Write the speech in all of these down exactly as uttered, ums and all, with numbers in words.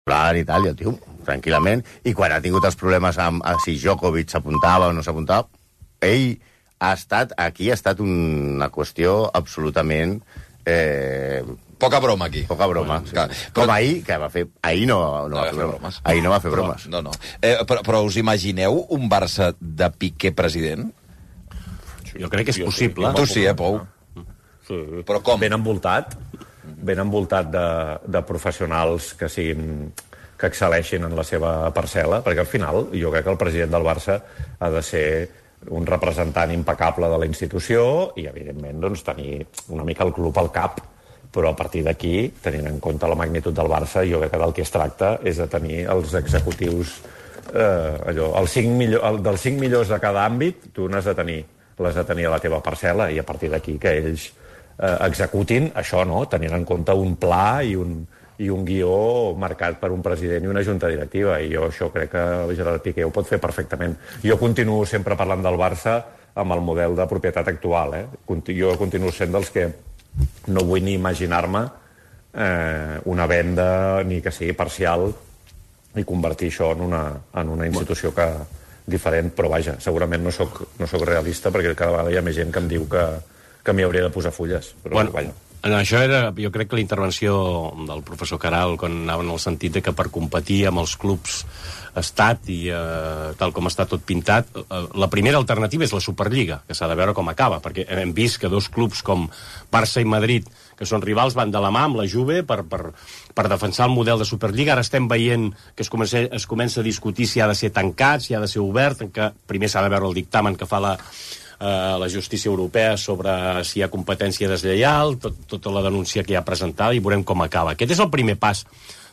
plan i tal, i el tio, tranquil·lament, i quan ha tingut els problemes amb si Djokovic s'apuntava o no s'apuntava, ell ha estat, aquí ha estat una qüestió absolutament... Eh, Poca broma, aquí. Poca broma. Bueno, sí. clar, però... Com ahir, que va fer... Ahir no, no, no va, va fer bromes. bromes. Ahir no va fer bromes. No, no. Eh, però, però us imagineu un Barça de Piqué president? Jo crec que és possible. Tu sí, eh, Pou? Sí. Però com? Ben envoltat. Ben envoltat de, de professionals que siguin... que excel·leixin en la seva parcel·la, perquè al final jo crec que el president del Barça ha de ser un representant impecable de la institució i, evidentment, doncs, tenir una mica el club al cap. Però a partir d'aquí, tenint en compte la magnitud del Barça, jo crec que del que es tracta és de tenir els executius, eh, allò, els cinc millor, el, dels cinc millors de cada àmbit, tu n'has de tenir, l'has de tenir a la teva parcel·la, i a partir d'aquí que ells eh, executin això, no?, tenint en compte un pla i un, i un guió marcat per un president i una junta directiva, i jo això crec que Gerard Piqué ho pot fer perfectament. Jo continuo sempre parlant del Barça amb el model de propietat actual, eh? Jo continuo sent dels que no vull ni imaginar-me eh, una venda ni que sigui parcial i convertir això en una, en una institució que, diferent, però vaja, segurament no soc, no soc realista perquè cada vegada hi ha més gent que em diu que, que m'hi hauria de posar fulles, però bueno, vaja. Això era, jo crec que la intervenció del professor Caral, quan anava en el sentit de que per competir amb els clubs estat i eh, tal com està tot pintat, eh, la primera alternativa és la Superliga, que s'ha de veure com acaba, perquè hem vist que dos clubs com Barça i Madrid, que són rivals, van de la mà amb la Juve per, per, per defensar el model de Superliga. Ara estem veient que es comença, es comença a discutir si ha de ser tancat, si ha de ser obert, que primer s'ha de veure el dictamen que fa la la justícia europea sobre si hi ha competència deslleial, tot, tota la denúncia que hi ha presentada, i veurem com acaba. Aquest és el primer pas.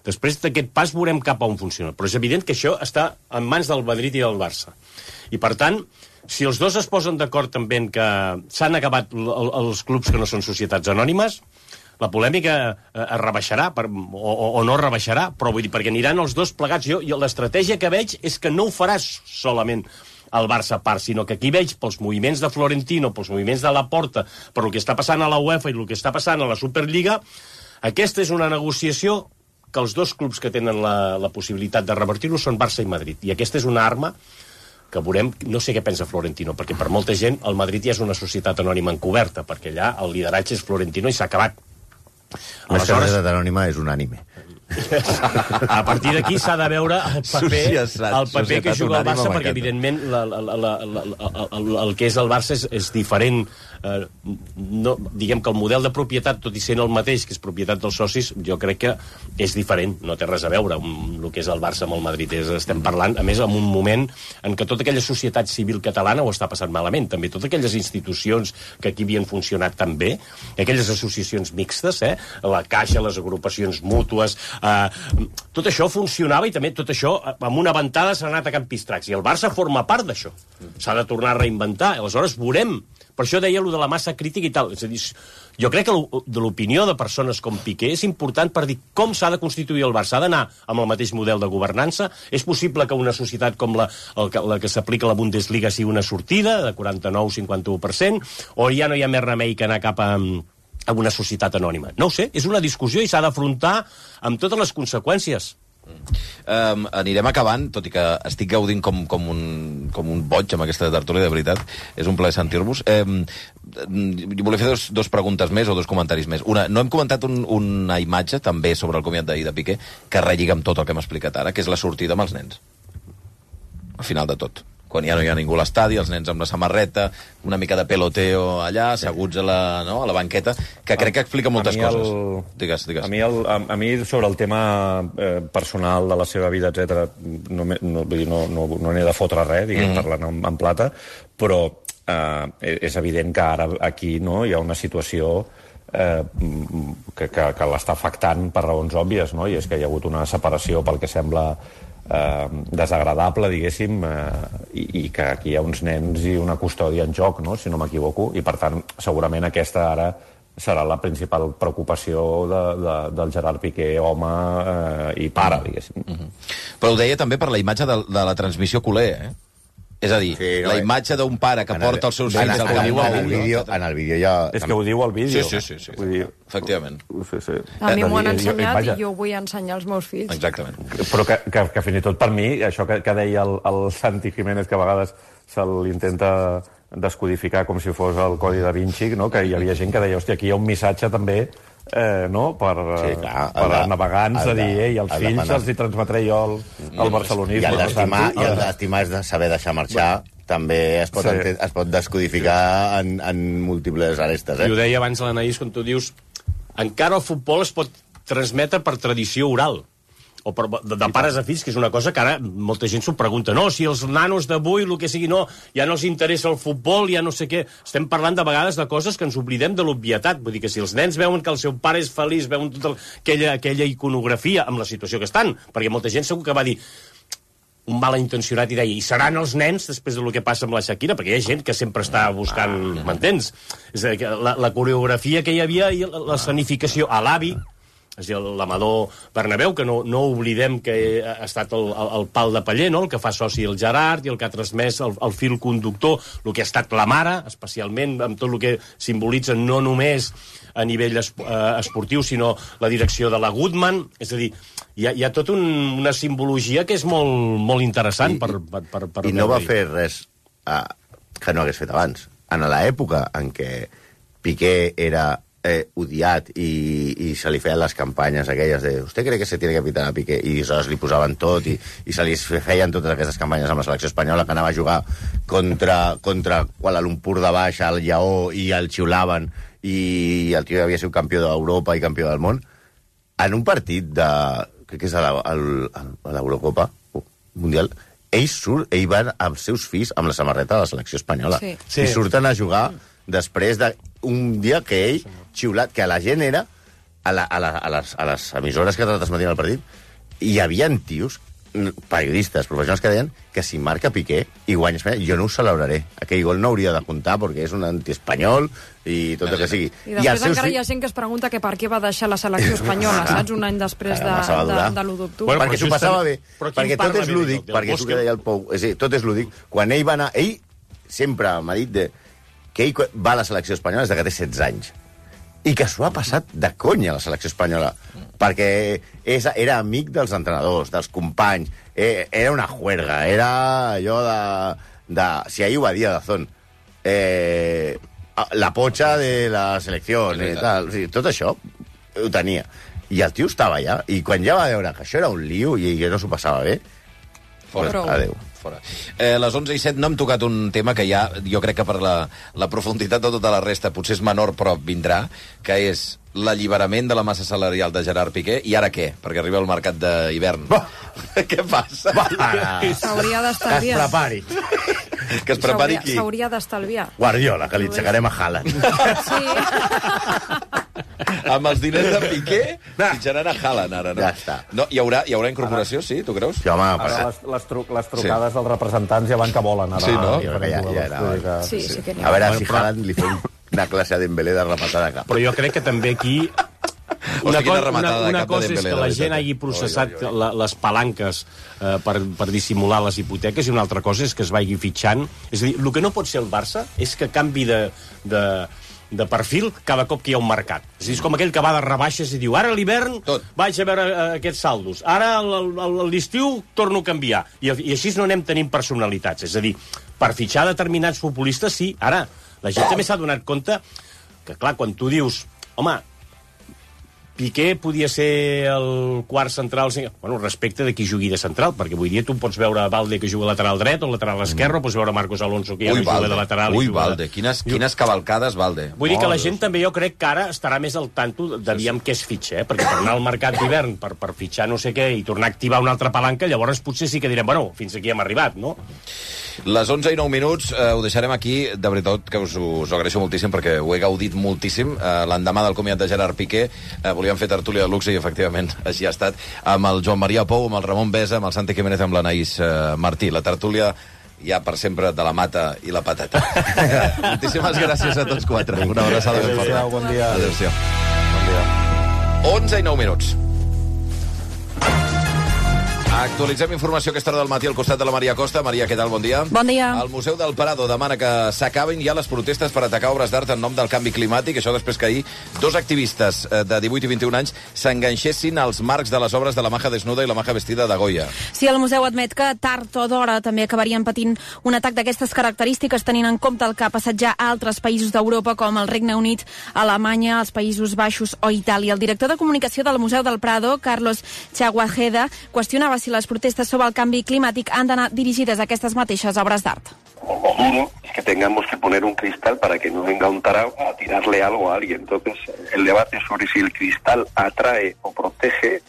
Després d'aquest pas veurem cap a on funciona. Però és evident que això està en mans del Madrid i del Barça. I per tant, si els dos es posen d'acord també en que s'han acabat els clubs que no són societats anònimes, la polèmica es rebaixarà, per, o, o no es rebaixarà, però vull dir, perquè aniran els dos plegats. Jo, jo l'estratègia que veig és que no ho faràs solament el Barça a part, sinó que aquí veig pels moviments de Florentino, pels moviments de Laporta, per el que està passant a la UEFA i el que està passant a la Superliga, aquesta és una negociació que els dos clubs que tenen la, la possibilitat de revertir-ho són Barça i Madrid. I aquesta és una arma que veurem, no sé què pensa Florentino, perquè per molta gent el Madrid ja és una societat anònima encoberta, perquè allà el lideratge és Florentino i s'ha acabat. La societat anònima és unànime. A partir d'aquí s'ha de veure el paper, el paper que juga el Barça, perquè evidentment la, la, la, la, la, el, el que és el Barça és, és diferent. Eh, no, diguem que el model de propietat, tot i sent el mateix, que és propietat dels socis, jo crec que és diferent, no té res a veure amb el que és el Barça amb el Madrid. És, estem parlant, a més, en un moment en què tota aquella societat civil catalana ho està passant malament, també totes aquelles institucions que aquí havien funcionat tan bé, aquelles associacions mixtes, eh, la Caixa, les agrupacions mútues, Uh, tot això funcionava, i també tot això amb una ventada s'ha anat a Can Pistracs, i el Barça forma part d'això, s'ha de tornar a reinventar. Aleshores veurem, per això deia allò de la massa crítica i tal. És a dir, jo crec que de l'opinió de persones com Piqué és important per dir com s'ha de constituir el Barça. Ha d'anar amb el mateix model de governança. És possible que una societat com la, la que s'aplica a la Bundesliga sigui una sortida de quaranta-nou a cinquanta-u per cent, o ja no hi ha més remei que anar cap a amb una societat anònima. No ho sé, és una discussió i s'ha d'afrontar amb totes les conseqüències. Um, anirem acabant, tot i que estic gaudint com, com, un, com un boig amb aquesta tertúlia, de veritat. És un plaer sentir-vos. Um, jo volia fer dos, dos preguntes més o dos comentaris més. Una, no hem comentat un, una imatge, també sobre el comiat d'ahir de Piqué, que relliga amb tot el que hem explicat ara, que és la sortida amb els nens. Al final de tot. Quan ja no hi ha ningú a l'estadi, els nens amb la samarreta, una mica de peloteo allà, asseguts a la, no, a la banqueta, que crec que explica moltes el, coses. Digues, digues. A mi, el, a, a mi sobre el tema eh, personal de la seva vida, etcètera, no, no, no, no, no n'he de fotre res, diguem, mm. parlant en, en plata, però eh, és evident que ara aquí no, hi ha una situació eh, que, que, que l'està afectant per raons òbvies, no? I és que hi ha hagut una separació pel que sembla Eh, desagradable, diguéssim, eh, i, i que aquí hi ha uns nens i una custòdia en joc, no? Si no m'equivoco, i per tant segurament aquesta ara serà la principal preocupació de, de, del Gerard Piqué, home eh, i pare, diguéssim. Mm-hmm. Però ho deia també per la imatge de, de la transmissió culer, eh? És a dir, Sí, no, la eh. imatge d'un pare que En el- porta els seus en fills el- al en el campament. vídeo, en el vídeo ja... És que ho diu al vídeo. Sí, sí, sí, sí. Vull dir, Efectivament. sí, sí. A mi m'ho han I- i- ensenyat vaja. i jo vull ensenyar als meus fills. Exactament. Però que, que, que fins i tot per mi, això que, que deia el, el Santi Jiménez, que a vegades se l'intenta descodificar com si fos el Codi da Vinci, no? Que hi havia gent que deia, hòstia, aquí hi ha un missatge també eh, no? per, Sí, clar, per el de- navegants el a de- dir, ei, els el de fills penar. els hi transmetré jo el, el barcelonisme. I el no, d'estimar Santi? i el d'estimar és de saber deixar marxar. També es pot, Sí. sí. es pot descodificar en, en múltiples arestes. I ho Eh? deia abans l'Anaïs, quan tu dius encara el futbol es pot transmetre per tradició oral o per, de, de pares a fills, que és una cosa que ara molta gent s'ho pregunta. No, si els nanos d'avui, el que sigui, no, ja no els interessa el futbol, ja no sé què. Estem parlant de vegades de coses que ens oblidem de l'obvietat. Vull dir que si els nens veuen que el seu pare és feliç, veuen tota aquella, aquella iconografia amb la situació que estan, perquè molta gent segur que va dir un malintencionat i deia, i seran els nens després del que passa amb la Shakira, perquè hi ha gent que sempre està buscant, m'entens? És a dir, que la, la coreografia que hi havia i la, la escenificació a l'avi, és a dir, l'Amador Bernabéu, que no, no oblidem que ha estat el, el, el pal de paller, no? El que fa soci el Gerard i el que ha transmès el, el fil conductor, el que ha estat la mare, especialment amb tot el que simbolitza no només a nivell es, eh, esportiu, sinó la direcció de la Goodman. És a dir, hi ha, hi ha tota un, una simbologia que és molt, molt interessant I, per, per, per, per I no va veure-hi. fer res eh, que no hagués fet abans. En l'època en què Piqué era eh, odiat i, i se li feien les campanyes aquelles de «Usted cree que se tiene que pitar a Piqué?» i aleshores li posaven tot i, i se li feien totes aquestes campanyes amb la selecció espanyola, que anava a jugar contra, contra Kuala Lumpur de baix, al Lleó, i el xiulaven, i el tio havia sigut campió d'Europa i campió del món. En un partit de... crec que és a la- al- a l'Eurocopa Mundial, ell surt, ell va amb els seus fills amb la samarreta de la selecció espanyola. Sí. Sí. I surten a jugar després d'un dia que ell, xiulat, que la gent era, a, la, a, la, a, les, a les emissores que transmetien el partit, hi havia tios, periodistes, professionals que deien que si marca Piqué i guanya Espanya, jo no ho celebraré. Aquell gol no hauria de comptar perquè és un antiespanyol i tot el que sigui. I després encara hi ha gent que es pregunta que per què va deixar la selecció espanyola, saps? Un any després de, Massa va de, durar. de l'u d'octubre. Bueno, perquè però s'ho just passava també- bé, però qui perquè en parla tot és bé lúdic, del- del perquè és el Bosque? que deia el Pou, és a dir, tot és lúdic. Quan ell va anar, ell sempre m'ha dit de, que ell va a la selecció espanyola des de que té setze anys, i que s'ho ha passat de conya a la selecció espanyola, perquè és, era amic dels entrenadors, dels companys, eh, era una juerga, era allò de... de si ahir ho va dir a Dazón, eh, la pocha de la selecció, i tal, o sigui, tot això ho tenia. I el tio estava allà, i quan ja va veure que això era un lío i que no s'ho passava bé, Fora. Prou. adéu. Fora. Eh, les onze i set no hem tocat un tema que ja, jo crec que per la, la profunditat de tota la resta potser és menor, però vindrà, que és l'alliberament de la massa salarial de Gerard Piqué. I ara què? Perquè arriba el mercat d'hivern. Què passa? S'hauria Que es d'estalviar. prepari. Que es prepari S'hauria- qui? S'hauria d'estalviar. Guardiola, que li aixecarem a Haaland. Sí. Amb els diners de Piqué fitxaran a Haaland ara, no? Ja està. No, hi haurà, hi haurà incorporació, sí? Tu creus? Sí, home, Ara per... les, les, tru les trucades sí. dels representants ja van que volen. Ara, Sí, no? Jo crec que ja- ja era Vull dir que- Sí, sí que n'hi A ha. veure Bueno, si però- Haaland li fem una classe a Dembélé de rematada de cap. Però jo crec que també aquí Una una, quina cosa, rematada una, de una cap de cosa és Dembélé, que de la veritat. gent hagi processat la, les palanques eh, per, per dissimular les hipoteques, i una altra cosa és que es vagi fitxant. És a dir, el que no pot ser el Barça és que canvi de, de, de perfil cada cop que hi ha un mercat. És a dir, és com aquell que va de rebaixes i diu ara a l'hivern Tot. vaig a veure eh, aquests saldos, ara al- al- al- a l'estiu torno a canviar. I, I així no anem tenint personalitats. És a dir, per fitxar determinats futbolistes, sí. Ara, la gent també s'ha donat compte que, clar, quan tu dius home, Piqué podia ser el quart central, bueno, respecte de qui jugui de central, perquè avui dia tu pots veure Valde que juga lateral dret o lateral esquerre, mm. o pots veure Marcos Alonso que ja Ui, no juga Valde. de lateral. Ui, i juga Valde. de... Quines, quines cavalcades, Valde. Vull dir que la Oh, gent també, jo crec que ara estarà més al tanto d'aviam què es fitxa, eh? Perquè per anar al mercat d'hivern, per, per fitxar no sé què, i tornar a activar una altra palanca, llavors potser sí que direm, bueno, fins aquí hem arribat, no? Les onze i nou minuts eh, ho deixarem aquí. De veritat que us, us ho agraeixo moltíssim perquè ho he gaudit moltíssim. Eh, L'endemà del comiat de Gerard Piqué eh, volíem fer tertúlia de luxe i efectivament així ha estat, amb el Joan Maria Pou, amb el Ramon Besa, amb el Santi Jiménez, amb l'Anaïs eh, Martí. La tertúlia ja per sempre de la mata i la patata. Moltíssimes gràcies a tots quatre. Una abraçada ben forta. Adéu-siau, bon dia. Adéu-siau. Bon dia. onze i nou minuts. Actualitzem informació a aquesta hora del matí al costat de la Maria Costa. Maria, què tal? Bon dia. Bon dia. El Museu del Prado demana que s'acabin ja les protestes per atacar obres d'art en nom del canvi climàtic. Això després que ahir dos activistes de divuit i vint-i-un anys s'enganxessin als marcs de les obres de la Maja Desnuda i la Maja Vestida de Goya. Sí, el museu admet que tard o d'hora també acabarien patint un atac d'aquestes característiques, tenint en compte el que ha passat ja a altres països d'Europa, com el Regne Unit, Alemanya, els Països Baixos o Itàlia. El director de comunicació del Museu del Prado, Carlos Chaguajeda, qüestionava si les protestes sobre el canvi climàtic han d'anar dirigides a aquestes mateixes obres d'art. Lo duro es que tengamos que poner un cristal para que no venga un tarao a tirarle algo a alguien. Entonces, el debate sobre si el cristal atrae o protege,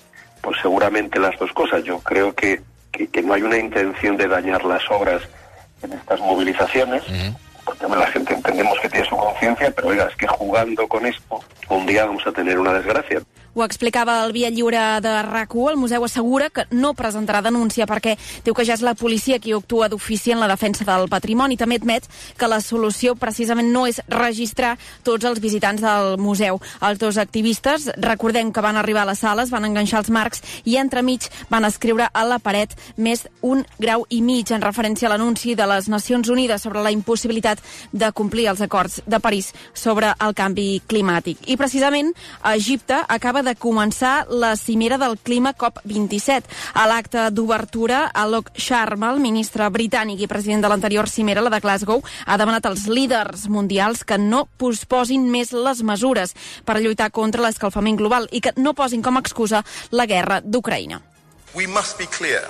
pues seguramente las dos cosas. Yo creo que, que, que no hay una intención de dañar las obras en estas movilizaciones, uh-huh. porque la gente entendemos que tiene su conciencia, pero oiga, es que jugando con esto, un día vamos a tener una desgracia. Ho explicava el Via Lliure de R A C u. El museu assegura que no presentarà denúncia perquè diu que ja és la policia qui actua d'ofici en la defensa del patrimoni. També admet que la solució precisament no és registrar tots els visitants del museu. Els dos activistes, recordem que van arribar a les sales, van enganxar els marcs i entremig van escriure a la paret més un grau i mig en referència a l'anunci de les Nacions Unides sobre la impossibilitat de complir els acords de París sobre el canvi climàtic. I precisament a Egipte acaba de començar la cimera del clima COP vint-i-set. A l'acte d'obertura, Alok Sharma, el ministre britànic i president de l'anterior cimera, la de Glasgow, ha demanat als líders mundials que no posposin més les mesures per lluitar contra l'escalfament global i que no posin com a excusa la guerra d'Ucraïna. We must be clear.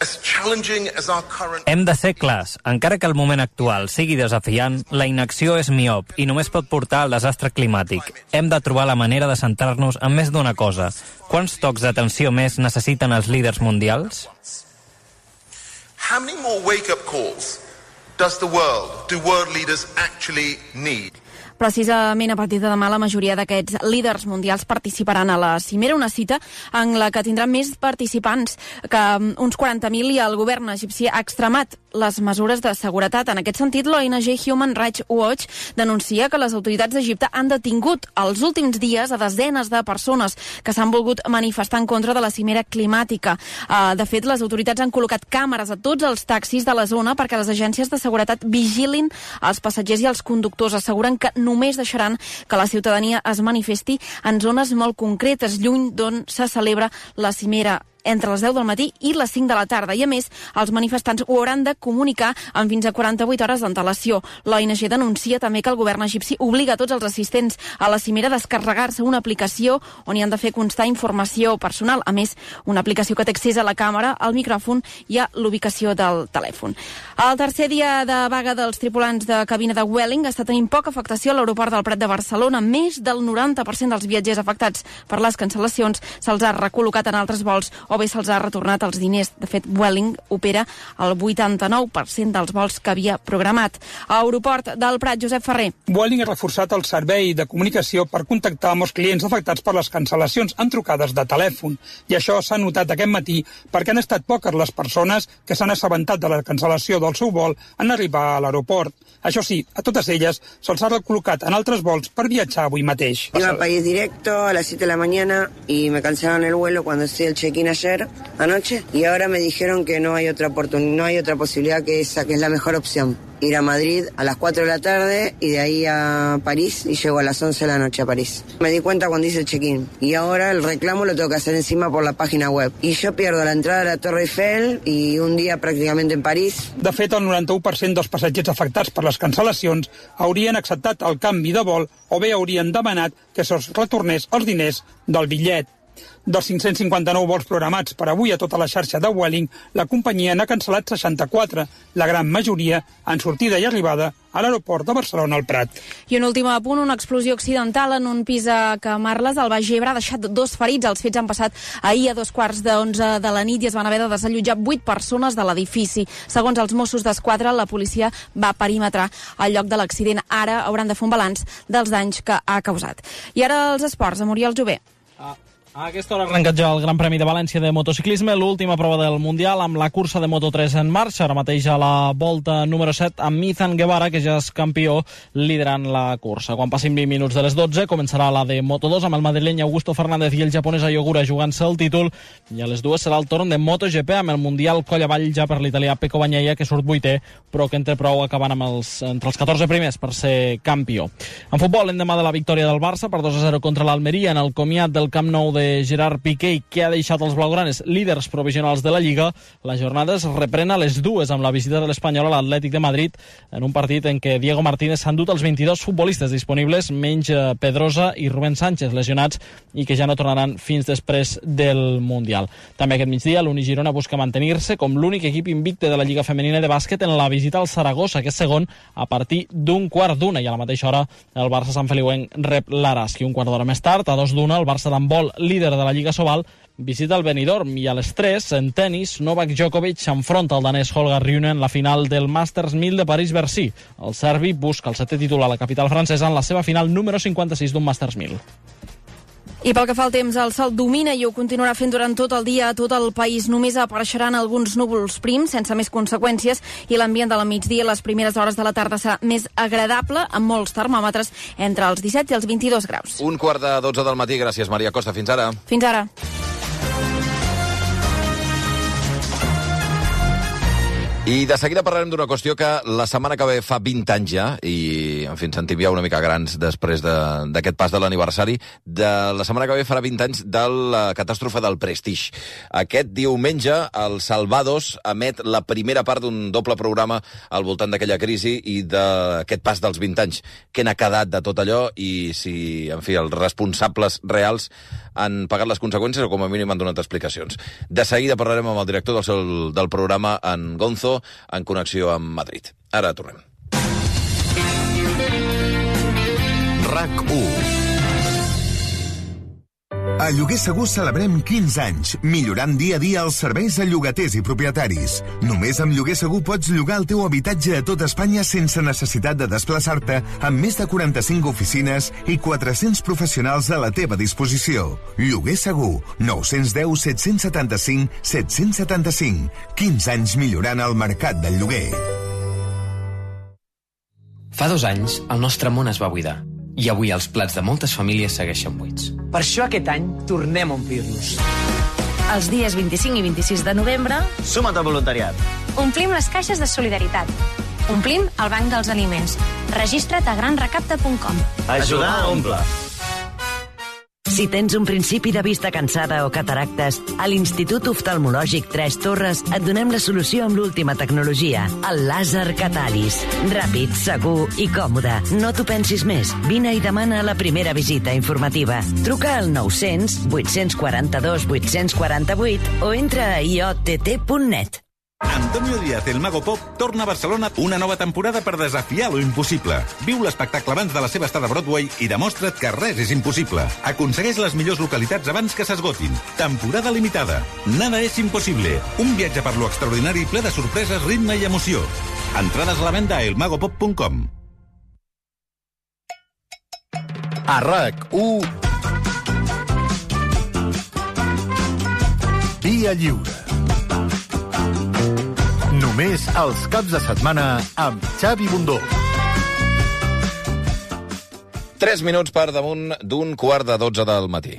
As challenging as our current... Hem de ser clars. Encara que el moment actual sigui desafiant, la inacció és miop i només pot portar al desastre climàtic. Hem de trobar la manera de centrar-nos en més d'una cosa. Quants tocs d'atenció més necessiten els líders mundials? How many more wake-up calls does the world, do world leaders actually need? Precisament a partir de demà la majoria d'aquests líders mundials participaran a la cimera, una cita en la que tindrà més participants que uns quaranta mil, i el govern egipci ha extremat les mesures de seguretat. En aquest sentit, l'O N G Human Rights Watch denuncia que les autoritats d'Egipte han detingut els últims dies a desenes de persones que s'han volgut manifestar en contra de la cimera climàtica. De fet, les autoritats han col·locat càmeres a tots els taxis de la zona perquè les agències de seguretat vigilin els passatgers i els conductors. Asseguren que només deixaran que la ciutadania es manifesti en zones molt concretes, lluny d'on se celebra la cimera, entre les deu del matí i les cinc de la tarda. I, a més, els manifestants ho hauran de comunicar amb fins a quaranta-vuit hores d'antelació. L'O N G denuncia també que el govern egipci obliga a tots els assistents a la cimera a descarregar-se una aplicació on hi han de fer constar informació personal. A més, una aplicació que té accés a la càmera, al micròfon i a l'ubicació del telèfon. El tercer dia de vaga dels tripulants de cabina de Vueling està tenint poca afectació a l'aeroport del Prat de Barcelona. Més del noranta per cent dels viatgers afectats per les cancel·lacions se'ls ha recol·locat en altres vols o bé se'ls ha retornat els diners. De fet, Vueling opera el vuitanta-nou per cent dels vols que havia programat. A Aeroport del Prat, Josep Ferrer. Vueling ha reforçat el servei de comunicació per contactar amb els clients afectats per les cancel·lacions en trucades de telèfon. I això s'ha notat aquest matí perquè han estat poques les persones que s'han assabentat de la cancel·lació del seu vol en arribar a l'aeroport. Això sí, a totes elles se'ls ha recol·locat en altres vols per viatjar avui mateix. Iba a país directo a las siete de la mañana y me cancelaron el vuelo cuando hice el check-in ayer anoche y ahora me dijeron que no hay otra oportunidad, no hay otra posibilidad que esa, que es la mejor opción. Ir a Madrid a las cuatro de la tarde y de ahí a París y llego a las once de la noche a París. Me di cuenta cuando hice el check-in y ahora el reclamo lo tengo que hacer encima por la página web. Y yo pierdo la entrada a la Torre Eiffel y un día prácticamente en París. De fet, el noranta-u per cent dels passatgers afectats per les cancel·lacions haurien acceptat el canvi de vol o bé haurien demanat que se'ls retornés els diners del bitllet. Dels cinc-cents cinquanta-nou vols programats per avui a tota la xarxa de Vueling, la companyia n'ha cancel·lat seixanta-quatre, la gran majoria en sortida i arribada a l'aeroport de Barcelona al Prat. I un últim apunt, una explosió accidental en un pis a Camarles, al Baix Ebre, ha deixat dos ferits. Els fets han passat ahir a dos quarts d'onze de la nit i es van haver de desallotjar vuit persones de l'edifici. Segons els Mossos d'Esquadra, la policia va perimetrar el lloc de l'accident. Ara hauran de fer un balanç dels danys que ha causat. I ara els esports, amb Oriol Jové. Ah. A aquesta hora ha arrencat ja el Gran Premi de València de motociclisme, l'última prova del Mundial amb la cursa de Moto tres en marxa, ara mateix a la volta número set amb Izan Guevara, que ja és campió liderant la cursa. Quan passin vint minuts de les dotze començarà la de Moto dos amb el madrileny Augusto Fernández i el japonès Ayogura jugant-se el títol, i a les dues serà el torn de MotoGP amb el Mundial coll avall ja per l'italià Pecco Bagnaia, que surt vuitè, però que entre prou acabant amb els, entre els catorze primers per ser campió. En futbol, l'endemà de la victòria del Barça per dos a zero contra l'Almeria en el comiat del Camp Nou de Gerard Piqué, que ha deixat els blaugranes líders provisionals de la Lliga, la jornada es reprèn a les dues amb la visita de l'Espanyol a l'Atlètic de Madrid en un partit en què Diego Martínez s'ha endut els vint-i-dos futbolistes disponibles, menys Pedrosa i Rubén Sánchez, lesionats i que ja no tornaran fins després del Mundial. També aquest migdia l'Uni Girona busca mantenir-se com l'únic equip invicte de la Lliga Femenina de bàsquet en la visita al Saragossa, que és segon, a partir d'un quart d'una, i a la mateixa hora el Barça Sant Feliuenc rep l'Araski. Un quart d'hora més tard, a dos d'una, el Barça d'handbol, líder de la Lliga Sobal, visita el Benidorm, i a les tres, en tennis, Novak Djokovic s'enfronta al danès Holger Rune en la final del Masters mil de París-Bercy. El serbi busca el setè títol a la capital francesa en la seva final número cinquanta-sis d'un Masters mil. I pel que fa al temps, el sol domina i ho continuarà fent durant tot el dia a tot el país. Només apareixeran alguns núvols prims, sense més conseqüències, i l'ambient de la migdia i les primeres hores de la tarda serà més agradable, amb molts termòmetres entre els disset i els vint-i-dos graus. Un quart de dotze del matí. Gràcies, Maria Costa. Fins ara. Fins ara. I de seguida parlarem d'una qüestió que la setmana que ve fa vint anys ja, i en fi, ens sentim ja una mica grans després d'aquest pas de l'aniversari. De la setmana que ve farà vint anys de la catàstrofe del Prestige. Aquest diumenge el Salvados emet la primera part d'un doble programa al voltant d'aquella crisi i d'aquest pas dels vint anys. Què n'ha quedat de tot allò i si, en fi, els responsables reals han pagat les conseqüències o com a mínim han donat explicacions. De seguida parlarem amb el director del, seu, del programa, en Gonzo, en connexió amb Madrid. Ara tornem. RAC u. A Lloguer Segur celebrem quinze anys, millorant dia a dia els serveis a llogaters i propietaris. Només amb Lloguer Segur pots llogar el teu habitatge a tot Espanya sense necessitat de desplaçar-te, amb més de quaranta-cinc oficines i quatre-cents professionals a la teva disposició. Lloguer Segur, nou u zero, set set cinc, set set cinc. quinze anys millorant el mercat del lloguer. Fa dos anys, el nostre món es va buidar. I avui els plats de moltes famílies segueixen buits. Per això aquest any tornem a omplir-nos. Els dies vint-i-cinc i vint-i-sis de novembre... Suma't al voluntariat. Omplim les caixes de solidaritat. Omplim el banc dels aliments. Registra't a gran recapte punt com. Ajudar a omplir. Si tens un principi de vista cansada o cataractes, a l'Institut Oftalmològic Tres Torres et donem la solució amb l'última tecnologia, el làser Catalis. Ràpid, segur i còmode. No t'ho pensis més. Vine i demana la primera visita informativa. Truca al nou cents, vuit quatre dos, vuit quatre vuit o entra a i o te te punt net. Antonio Díaz, el Mago Pop, torna a Barcelona una nova temporada per desafiar lo impossible. Viu l'espectacle abans de la seva estada a Broadway i demostra't que res és impossible. Aconsegueix les millors localitats abans que s'esgotin. Temporada limitada. Nada és impossible. Un viatge per lo extraordinari ple de sorpreses, ritme i emoció. Entrades a la venda a el mago pop punt com. A RAC u. Via Lliure. Només els caps de setmana amb Xavi Bundó. Tres minuts per damunt d'un quart de dotze del matí.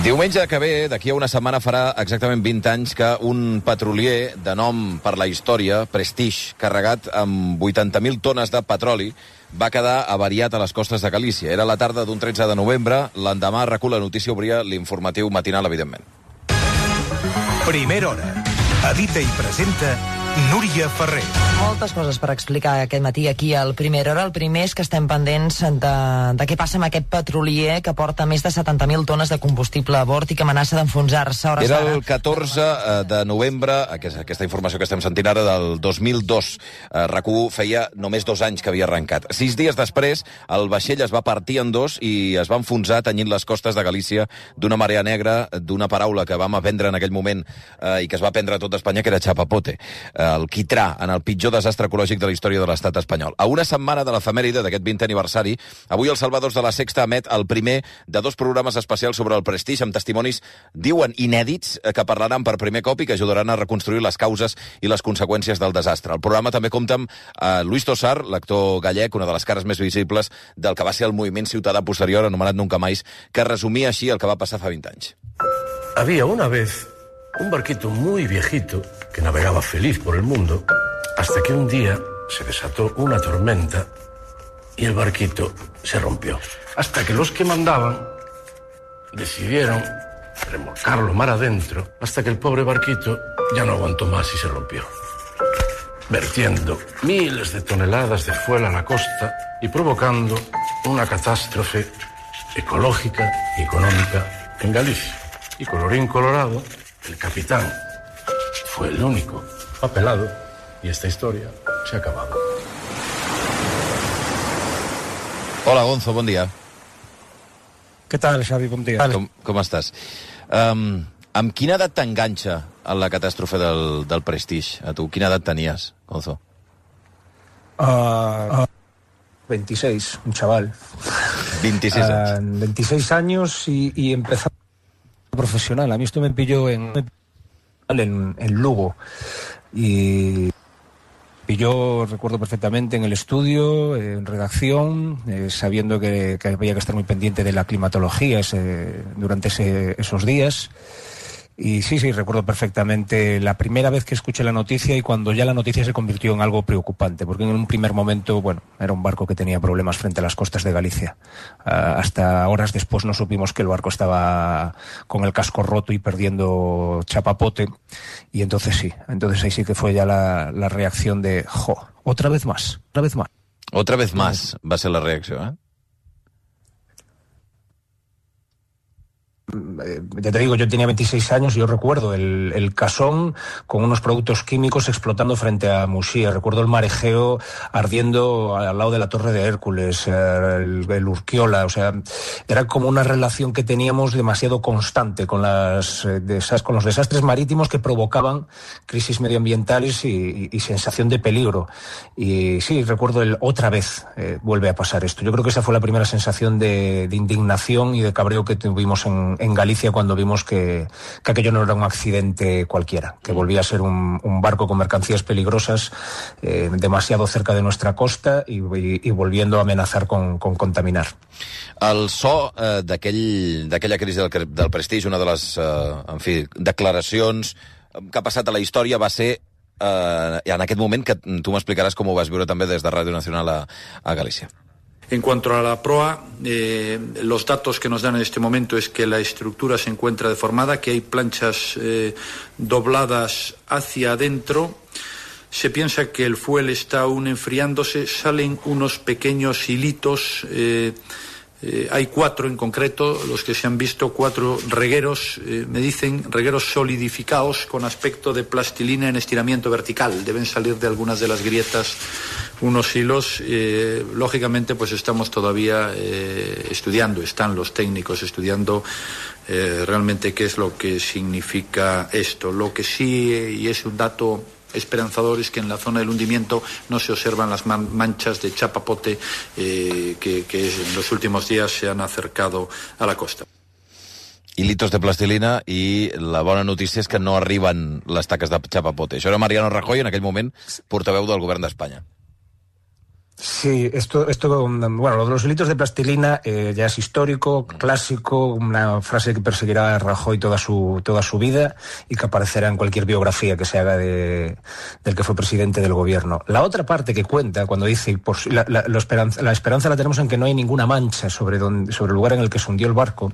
Diumenge que ve, d'aquí a una setmana, farà exactament vint anys que un petrolier de nom per la història, Prestige, carregat amb vuitanta mil tones de petroli, va quedar avariat a les costes de Galícia. Era la tarda d'un tretze de novembre, l'endemà RAC u La Notícia obria l'informatiu matinal, evidentment. Primera hora. Edita i presenta Núria Ferrer. Moltes coses per explicar aquest matí aquí al Primera Hora. El primer és que estem pendents de, de què passa amb aquest petrolier que porta més de setanta mil tones de combustible a bord i que amenaça d'enfonsar-se. Era el catorze de novembre, aquesta, aquesta informació que estem sentint ara, del dos mil dos. RAC u feia només dos anys que havia arrencat. Sis dies després, el vaixell es va partir en dos i es va enfonsar tenyint les costes de Galícia d'una marea negra, d'una paraula que vam aprendre en aquell moment eh, i que es va aprendre a tot Espanya, que era chapapote. el quitrà en el pitjor desastre ecològic de la història de l'estat espanyol. A una setmana de l'efemèride d'aquest vintè aniversari, avui els Salvadors de la Sexta emet el primer de dos programes especials sobre el Prestige, amb testimonis, diuen, inèdits, que parlaran per primer cop i que ajudaran a reconstruir les causes i les conseqüències del desastre. El programa també compta amb eh, Luis Tosar, l'actor gallec, una de les cares més visibles del que va ser el moviment ciutadà posterior, anomenat Nunca Más, que resumia així el que va passar fa vint anys. Había una vez un barquito muy viejito que navegaba feliz por el mundo hasta que un día se desató una tormenta y el barquito se rompió. Hasta que los que mandaban decidieron remolcarlo mar adentro hasta que el pobre barquito ya no aguantó más y se rompió, vertiendo miles de toneladas de fuel a la costa y provocando una catástrofe ecológica y económica en Galicia. Y colorín colorado, el capitán fue el único apelado y esta historia se ha acabado. Hola, Gonzo, bon dia. Què tal, Xavi? Bon dia. Com, com estàs? Um, amb quina edat t'enganxa a la catàstrofe del, del Prestige, a tu? Quina edat tenies, Gonzo? Uh, uh, veintiséis, un chaval. veintiséis años. Uh, veintiséis años y, y empezar profesional. A mí esto me pilló en, en, en Lugo. Y yo recuerdo perfectamente en el estudio, en redacción, eh, sabiendo que, que había que estar muy pendiente de la climatología ese, durante ese, esos días. Y sí, sí, recuerdo perfectamente la primera vez que escuché la noticia y cuando ya la noticia se convirtió en algo preocupante, porque en un primer momento, bueno, era un barco que tenía problemas frente a las costas de Galicia. Uh, hasta horas después no supimos que el barco estaba con el casco roto y perdiendo chapapote. Y entonces sí, entonces ahí sí que fue ya la, la reacción de, jo, otra vez más, otra vez más. Otra vez más va a ser la reacción, ¿eh? Ya te digo, yo tenía veintiséis años y yo recuerdo el, el casón con unos productos químicos explotando frente a Muxía. Recuerdo el marejeo ardiendo al lado de la Torre de Hércules, el, el Urquiola. O sea, era como una relación que teníamos demasiado constante con, las, con los desastres marítimos que provocaban crisis medioambientales y, y, y sensación de peligro. Y sí, recuerdo el otra vez eh, vuelve a pasar esto. Yo creo que esa fue la primera sensación de, de indignación y de cabreo que tuvimos en en Galicia cuando vimos que, que aquello no era un accidente cualquiera, que volvía a ser un, un barco con mercancías peligrosas eh, demasiado cerca de nuestra costa y, y, y volviendo a amenazar con, con contaminar. El so eh, d'aquella crisi del, del Prestige, una de les eh, en fi, declaracions que ha passat a la història va ser eh, en aquest moment que tu m'explicaràs com ho vas viure també des de Ràdio Nacional a, a Galícia. En cuanto a la proa, eh, los datos que nos dan en este momento es que la estructura se encuentra deformada, que hay planchas eh, dobladas hacia adentro. Se piensa que el fuel está aún enfriándose, salen unos pequeños hilitos. Eh, eh, hay cuatro en concreto, los que se han visto, cuatro regueros, eh, me dicen regueros solidificados con aspecto de plastilina en estiramiento vertical. Deben salir de algunas de las grietas unos hilos. Eh, lógicamente, pues estamos todavía eh, estudiando, están los técnicos estudiando eh, realmente qué es lo que significa esto. Lo que sí, y es un dato esperanzador, es que en la zona del hundimiento no se observan las man manchas de chapapote eh, que, que en los últimos días se han acercado a la costa. Hilitos de plastilina i la bona notícia és que no arriben les taques de chapapote. Això era Mariano Rajoy, en aquell moment portaveu del govern d'Espanya. Sí, esto, esto, bueno, lo de los hilitos de plastilina eh, ya es histórico, clásico, una frase que perseguirá a Rajoy toda su, toda su vida y que aparecerá en cualquier biografía que se haga de, del que fue presidente del gobierno. La otra parte que cuenta, cuando dice, por, la, la, la, esperanza, la esperanza la tenemos en que no hay ninguna mancha sobre, donde, sobre el lugar en el que se hundió el barco.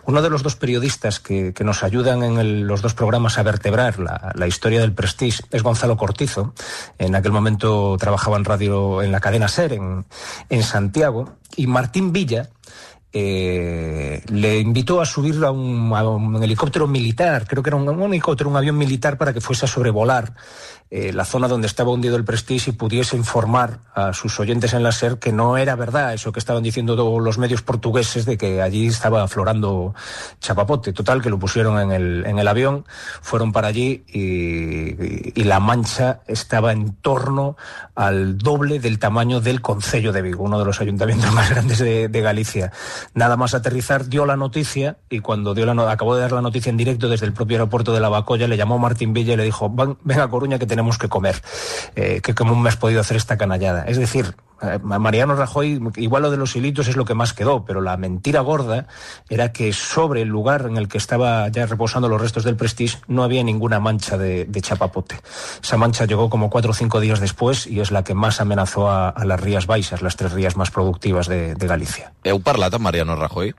Uno de los dos periodistas que, que nos ayudan en el, los dos programas a vertebrar la, la historia del Prestige es Gonzalo Cortizo. En aquel momento trabajaba en radio, en la cadena SER en, en Santiago, y Martín Villa eh, le invitó a subir a un, a un helicóptero militar, creo que era un, un helicóptero, un avión militar, para que fuese a sobrevolar eh, la zona donde estaba hundido el Prestige y pudiese informar a sus oyentes en la SER que no era verdad eso que estaban diciendo todos los medios portugueses de que allí estaba aflorando chapapote. Total, que lo pusieron en el, en el avión, fueron para allí y, y, y la mancha estaba en torno al doble del tamaño del Concello de Vigo, uno de los ayuntamientos más grandes de, de Galicia. Nada más aterrizar dio la noticia y cuando dio la no- acabó de dar la noticia en directo desde el propio aeropuerto de Lavacolla, le llamó Martín Villa y le dijo: ven a Coruña que tenemos que comer, eh, que cómo me has podido hacer esta canallada. Es decir, a Mariano Rajoy, igual lo de los hilitos es lo que más quedó, pero la mentira gorda era que sobre el lugar en el que estaba ya reposando los restos del Prestige no había ninguna mancha de, de chapapote. Esa mancha llegó como cuatro o cinco días después y es la que más amenazó a, a las Rías Baixas, las tres rías más productivas de, de Galicia. Heu parlat amb Mariano Rajoy?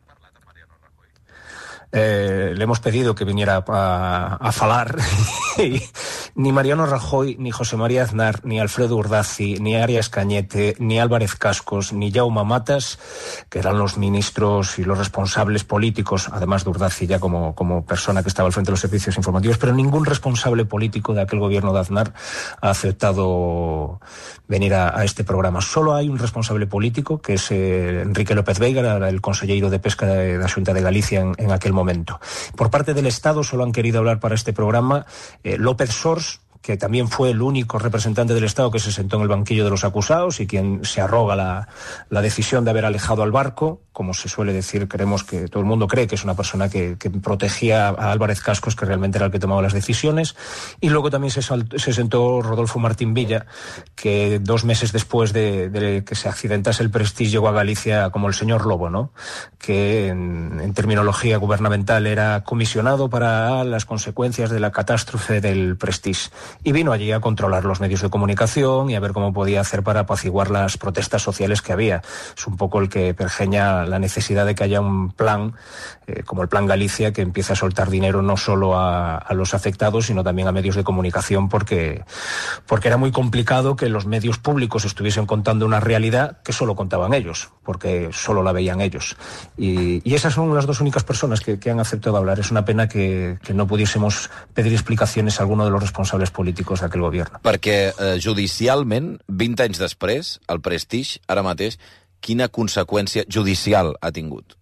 Eh, le hemos pedido que viniera a, a falar y ni Mariano Rajoy, ni José María Aznar, ni Alfredo Urdazi, ni Arias Cañete, ni Álvarez Cascos, ni Jaume Matas, que eran los ministros y los responsables políticos, además de Urdazi ya como, como persona que estaba al frente de los servicios informativos, pero ningún responsable político de aquel gobierno de Aznar ha aceptado venir a, a este programa. Solo hay un responsable político, que es eh, Enrique López Veiga, el consellero de Pesca de la Xunta de Galicia en, en aquel momento. Momento. Por parte del Estado solo han querido hablar para este programa eh, López Sors, que también fue el único representante del Estado que se sentó en el banquillo de los acusados y quien se arroga la, la decisión de haber alejado al barco. Como se suele decir, creemos que todo el mundo cree que es una persona que, que protegía a Álvarez Cascos, que realmente era el que tomaba las decisiones. Y luego también se, sal, se sentó Rodolfo Martín Villa, que dos meses después de, de que se accidentase el Prestige llegó a Galicia como el señor Lobo, ¿no? Que en, en terminología gubernamental era comisionado para las consecuencias de la catástrofe del Prestige. Y vino allí a controlar los medios de comunicación y a ver cómo podía hacer para apaciguar las protestas sociales que había. Es un poco el que pergeña la necesidad de que haya un plan, eh, como el Plan Galicia, que empiece a soltar dinero no solo a, a los afectados, sino también a medios de comunicación, porque, porque era muy complicado que los medios públicos estuviesen contando una realidad que solo contaban ellos, porque solo la veían ellos. Y, y esas son las dos únicas personas que, que han aceptado hablar. Es una pena que, que no pudiésemos pedir explicaciones a alguno de los responsables políticos d'aquell govern. Perquè eh, judicialment, vint anys després, el Prestige, ara mateix, quina conseqüència judicial ha tingut?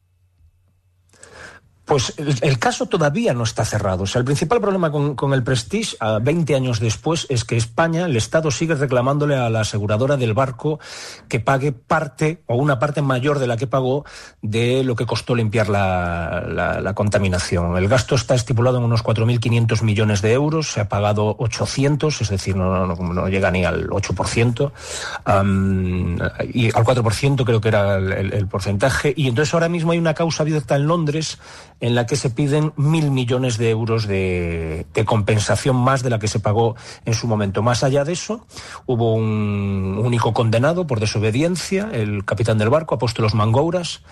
Pues el, el caso todavía no está cerrado. O sea, el principal problema con, con el Prestige, a veinte años después, es que España, el Estado, sigue reclamándole a la aseguradora del barco que pague parte, o una parte mayor de la que pagó, de lo que costó limpiar la, la, la contaminación. El gasto está estipulado en unos cuatro mil quinientos millones de euros, se ha pagado ochocientos, es decir, no, no, no llega ni al ocho por ciento, um, y al cuatro por ciento creo que era el, el, el porcentaje, y entonces ahora mismo hay una causa abierta en Londres en la que se piden mil millones de euros de, de compensación más de la que se pagó en su momento. Más allá de eso, hubo un único condenado por desobediencia, el capitán del barco, Apóstolos Mangouras.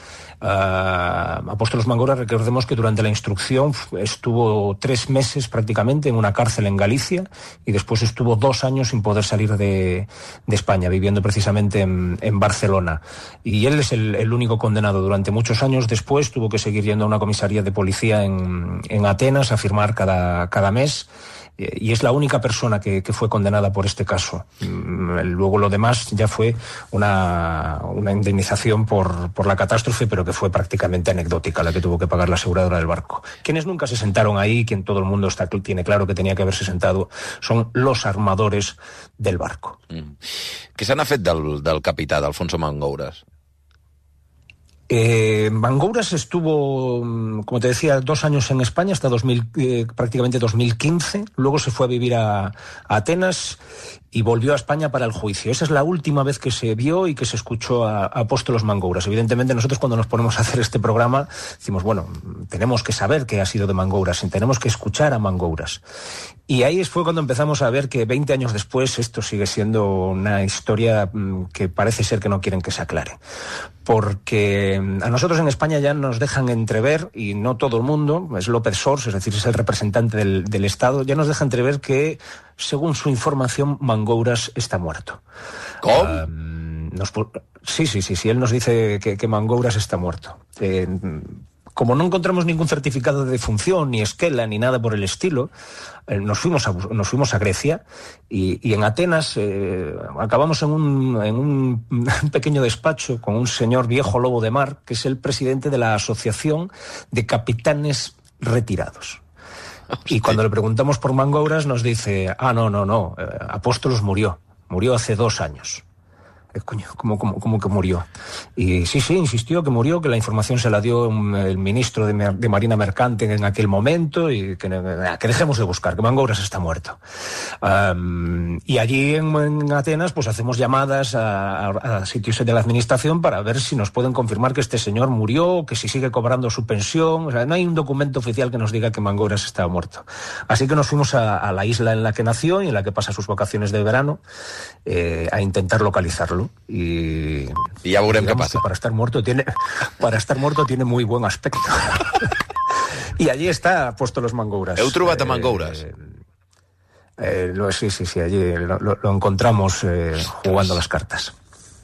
Uh, Apóstolos Mangouras, recordemos que durante la instrucción estuvo tres meses prácticamente en una cárcel en Galicia y después estuvo dos años sin poder salir de, de España, viviendo precisamente en, en Barcelona. Y él es el, el único condenado durante muchos años. Después tuvo que seguir yendo a una comisaría de policía en, en Atenas a firmar cada, cada mes. Y es la única persona que, que fue condenada por este caso. Luego lo demás ya fue una, una indemnización por, por la catástrofe, pero que fue prácticamente anecdótica la que tuvo que pagar la aseguradora del barco. Quienes nunca se sentaron ahí, quien todo el mundo está, tiene claro que tenía que haberse sentado, son los armadores del barco. Mm. Què se n'ha fet del, del capità, d'Alfonso Mangouras? Eh, Mangouras estuvo, como te decía, dos años en España, hasta dos mil, eh, prácticamente dos mil quince. Luego se fue a vivir a, a Atenas y volvió a España para el juicio. Esa es la última vez que se vio y que se escuchó a, a Apóstolos Mangouras. Evidentemente nosotros cuando nos ponemos a hacer este programa decimos, bueno, tenemos que saber qué ha sido de Mangouras, tenemos que escuchar a Mangouras. Y ahí fue cuando empezamos a ver que veinte años después esto sigue siendo una historia que parece ser que no quieren que se aclare. Porque a nosotros en España ya nos dejan entrever, y no todo el mundo, es López Sors, es decir, es el representante del, del Estado, ya nos deja entrever que, según su información, Mangouras está muerto. ¿Cómo? Uh, nos, sí, sí, sí, sí, él nos dice que, que Mangouras está muerto. Eh, como no encontramos ningún certificado de defunción, ni esquela, ni nada por el estilo, eh, nos, fuimos a, nos fuimos a Grecia y, y en Atenas eh, acabamos en un, en un pequeño despacho con un señor viejo lobo de mar, que es el presidente de la Asociación de Capitanes Retirados. Hostia. Y cuando le preguntamos por Mangouras nos dice, ah, no, no, no, eh, Apóstolos murió, murió hace dos años. Eh, coño, ¿cómo, cómo, cómo que murió? Y sí, sí, insistió que murió, que la información se la dio el ministro de, de Marina Mercante en aquel momento y que, que dejemos de buscar, que Mangouras está muerto. Um, y allí en, en Atenas pues hacemos llamadas a, a, a sitios de la administración para ver si nos pueden confirmar que este señor murió, que si sigue cobrando su pensión. O sea, no hay un documento oficial que nos diga que Mangouras estaba muerto. Así que nos fuimos a, a la isla en la que nació y en la que pasa sus vacaciones de verano eh, a intentar localizarlo. Y, y ya veurem què passa. Que para estar muerto tiene, para estar muerto tiene muy buen aspecto. Y allí está puesto los Mangouras. Heu trobat a Mangouras? Eh, eh, lo, sí, sí, sí, allí lo, lo, lo encontramos eh, jugando las cartas.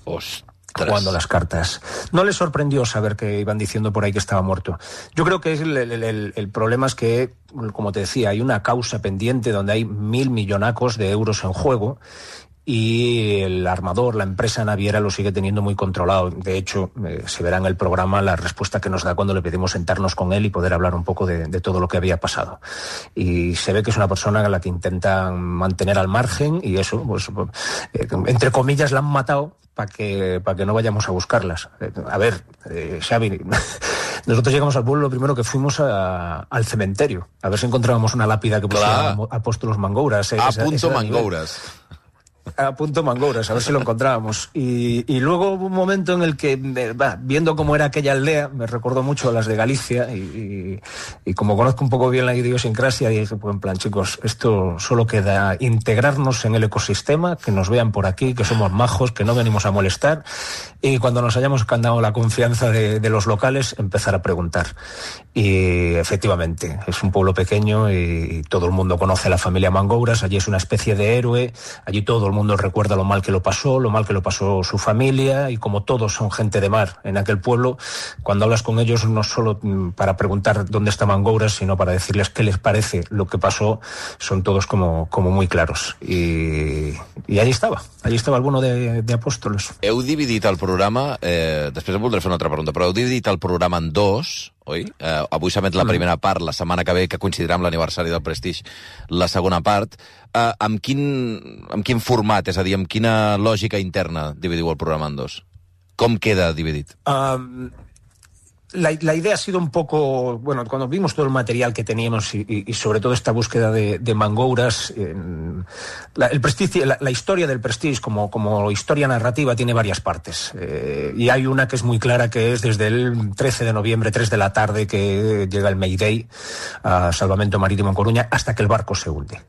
Ostras. Jugando las cartas. No les sorprendió saber que iban diciendo por ahí que estaba muerto. Yo creo que es el, el, el, el problema es que, como te decía, hay una causa pendiente donde hay mil millonacos de euros en juego. Y el armador, la empresa naviera, lo sigue teniendo muy controlado. De hecho, eh, se verá en el programa la respuesta que nos da cuando le pedimos sentarnos con él y poder hablar un poco de, de todo lo que había pasado. Y se ve que es una persona a la que intentan mantener al margen y eso, pues, eh, entre comillas, la han matado para que, para que no vayamos a buscarlas. Eh, a ver, eh, Xavi, nosotros llegamos al pueblo, lo primero que fuimos a, al cementerio, a ver si encontrábamos una lápida que pusiera Apóstolos Mangouras. Eh, a esa, punto esa Mangouras. A punto Mangouras, a ver si lo encontrábamos. Y, y luego hubo un momento en el que, bah, viendo cómo era aquella aldea, me recordó mucho a las de Galicia y, y, y como conozco un poco bien la idiosincrasia, dije, pues en plan, chicos, esto solo queda integrarnos en el ecosistema, que nos vean por aquí, que somos majos, que no venimos a molestar, y cuando nos hayamos ganado la confianza de, de los locales, empezar a preguntar. Y efectivamente, es un pueblo pequeño y, y todo el mundo conoce a la familia Mangouras, allí es una especie de héroe, allí todo el mundo recuerda lo mal que lo pasó, lo mal que lo pasó su familia, y como todos son gente de mar en aquel pueblo, cuando hablas con ellos no solo para preguntar dónde está Mangouras, sino para decirles qué les parece lo que pasó, son todos como, como muy claros. Y, y allí estava, allí estava el bueno de, de Apóstolos. Heu dividit el programa, eh, després em voldré fer una altra pregunta, però heu dividit el programa en dos, oi? Eh, avui s'emet la primera part, la setmana que ve, que coincidirà amb l'aniversari del Prestige, la segona part. Eh, amb, quin, amb quin format, és a dir, amb quina lògica interna dividiu el programa en dos? Com queda dividit? Um, la, la idea ha sido un poco, bueno, cuando vimos todo el material que teníamos y, y, y sobre todo esta búsqueda de, de Mangouras, eh, la, el Prestige, la, la historia del Prestige como, como historia narrativa tiene varias partes. Eh, y hay una que es muy clara, que es desde el trece de noviembre, tres de la tarde, que llega el Mayday a Salvamento Marítimo en Coruña, hasta que el barco se hunde.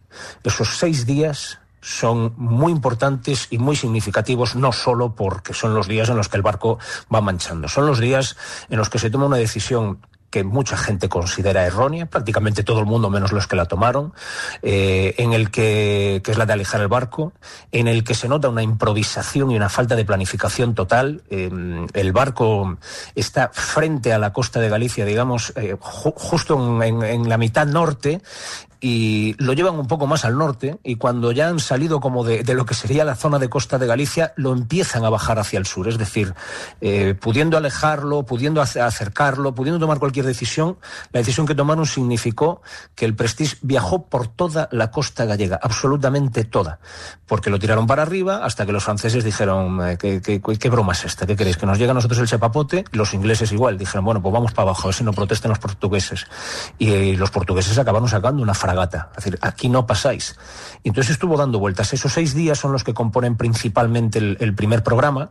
Esos seis días son muy importantes y muy significativos, no solo porque son los días en los que el barco va manchando, son los días en los que se toma una decisión que mucha gente considera errónea, prácticamente todo el mundo menos los que la tomaron, eh, en el que, que es la de alejar el barco, en el que se nota una improvisación y una falta de planificación total. Eh, el barco está frente a la costa de Galicia, digamos, eh, ju justo en, en, en la mitad norte, y lo llevan un poco más al norte, y cuando ya han salido como de, de lo que sería la zona de costa de Galicia, lo empiezan a bajar hacia el sur, es decir, eh, pudiendo alejarlo, pudiendo acercarlo, pudiendo tomar cualquier decisión. La decisión que tomaron significó que el Prestige viajó por toda la costa gallega, absolutamente toda, porque lo tiraron para arriba hasta que los franceses dijeron, eh, ¿qué, qué, qué broma es esta? ¿Qué queréis? ¿Que nos llegue a nosotros el chapapote? Los ingleses igual, dijeron, bueno, pues vamos para abajo, a ver si no protestan los portugueses. Y eh, los portugueses acabaron sacando una fragata, es decir, aquí no pasáis. Y entonces estuvo dando vueltas. Esos seis días son los que componen principalmente el, el primer programa,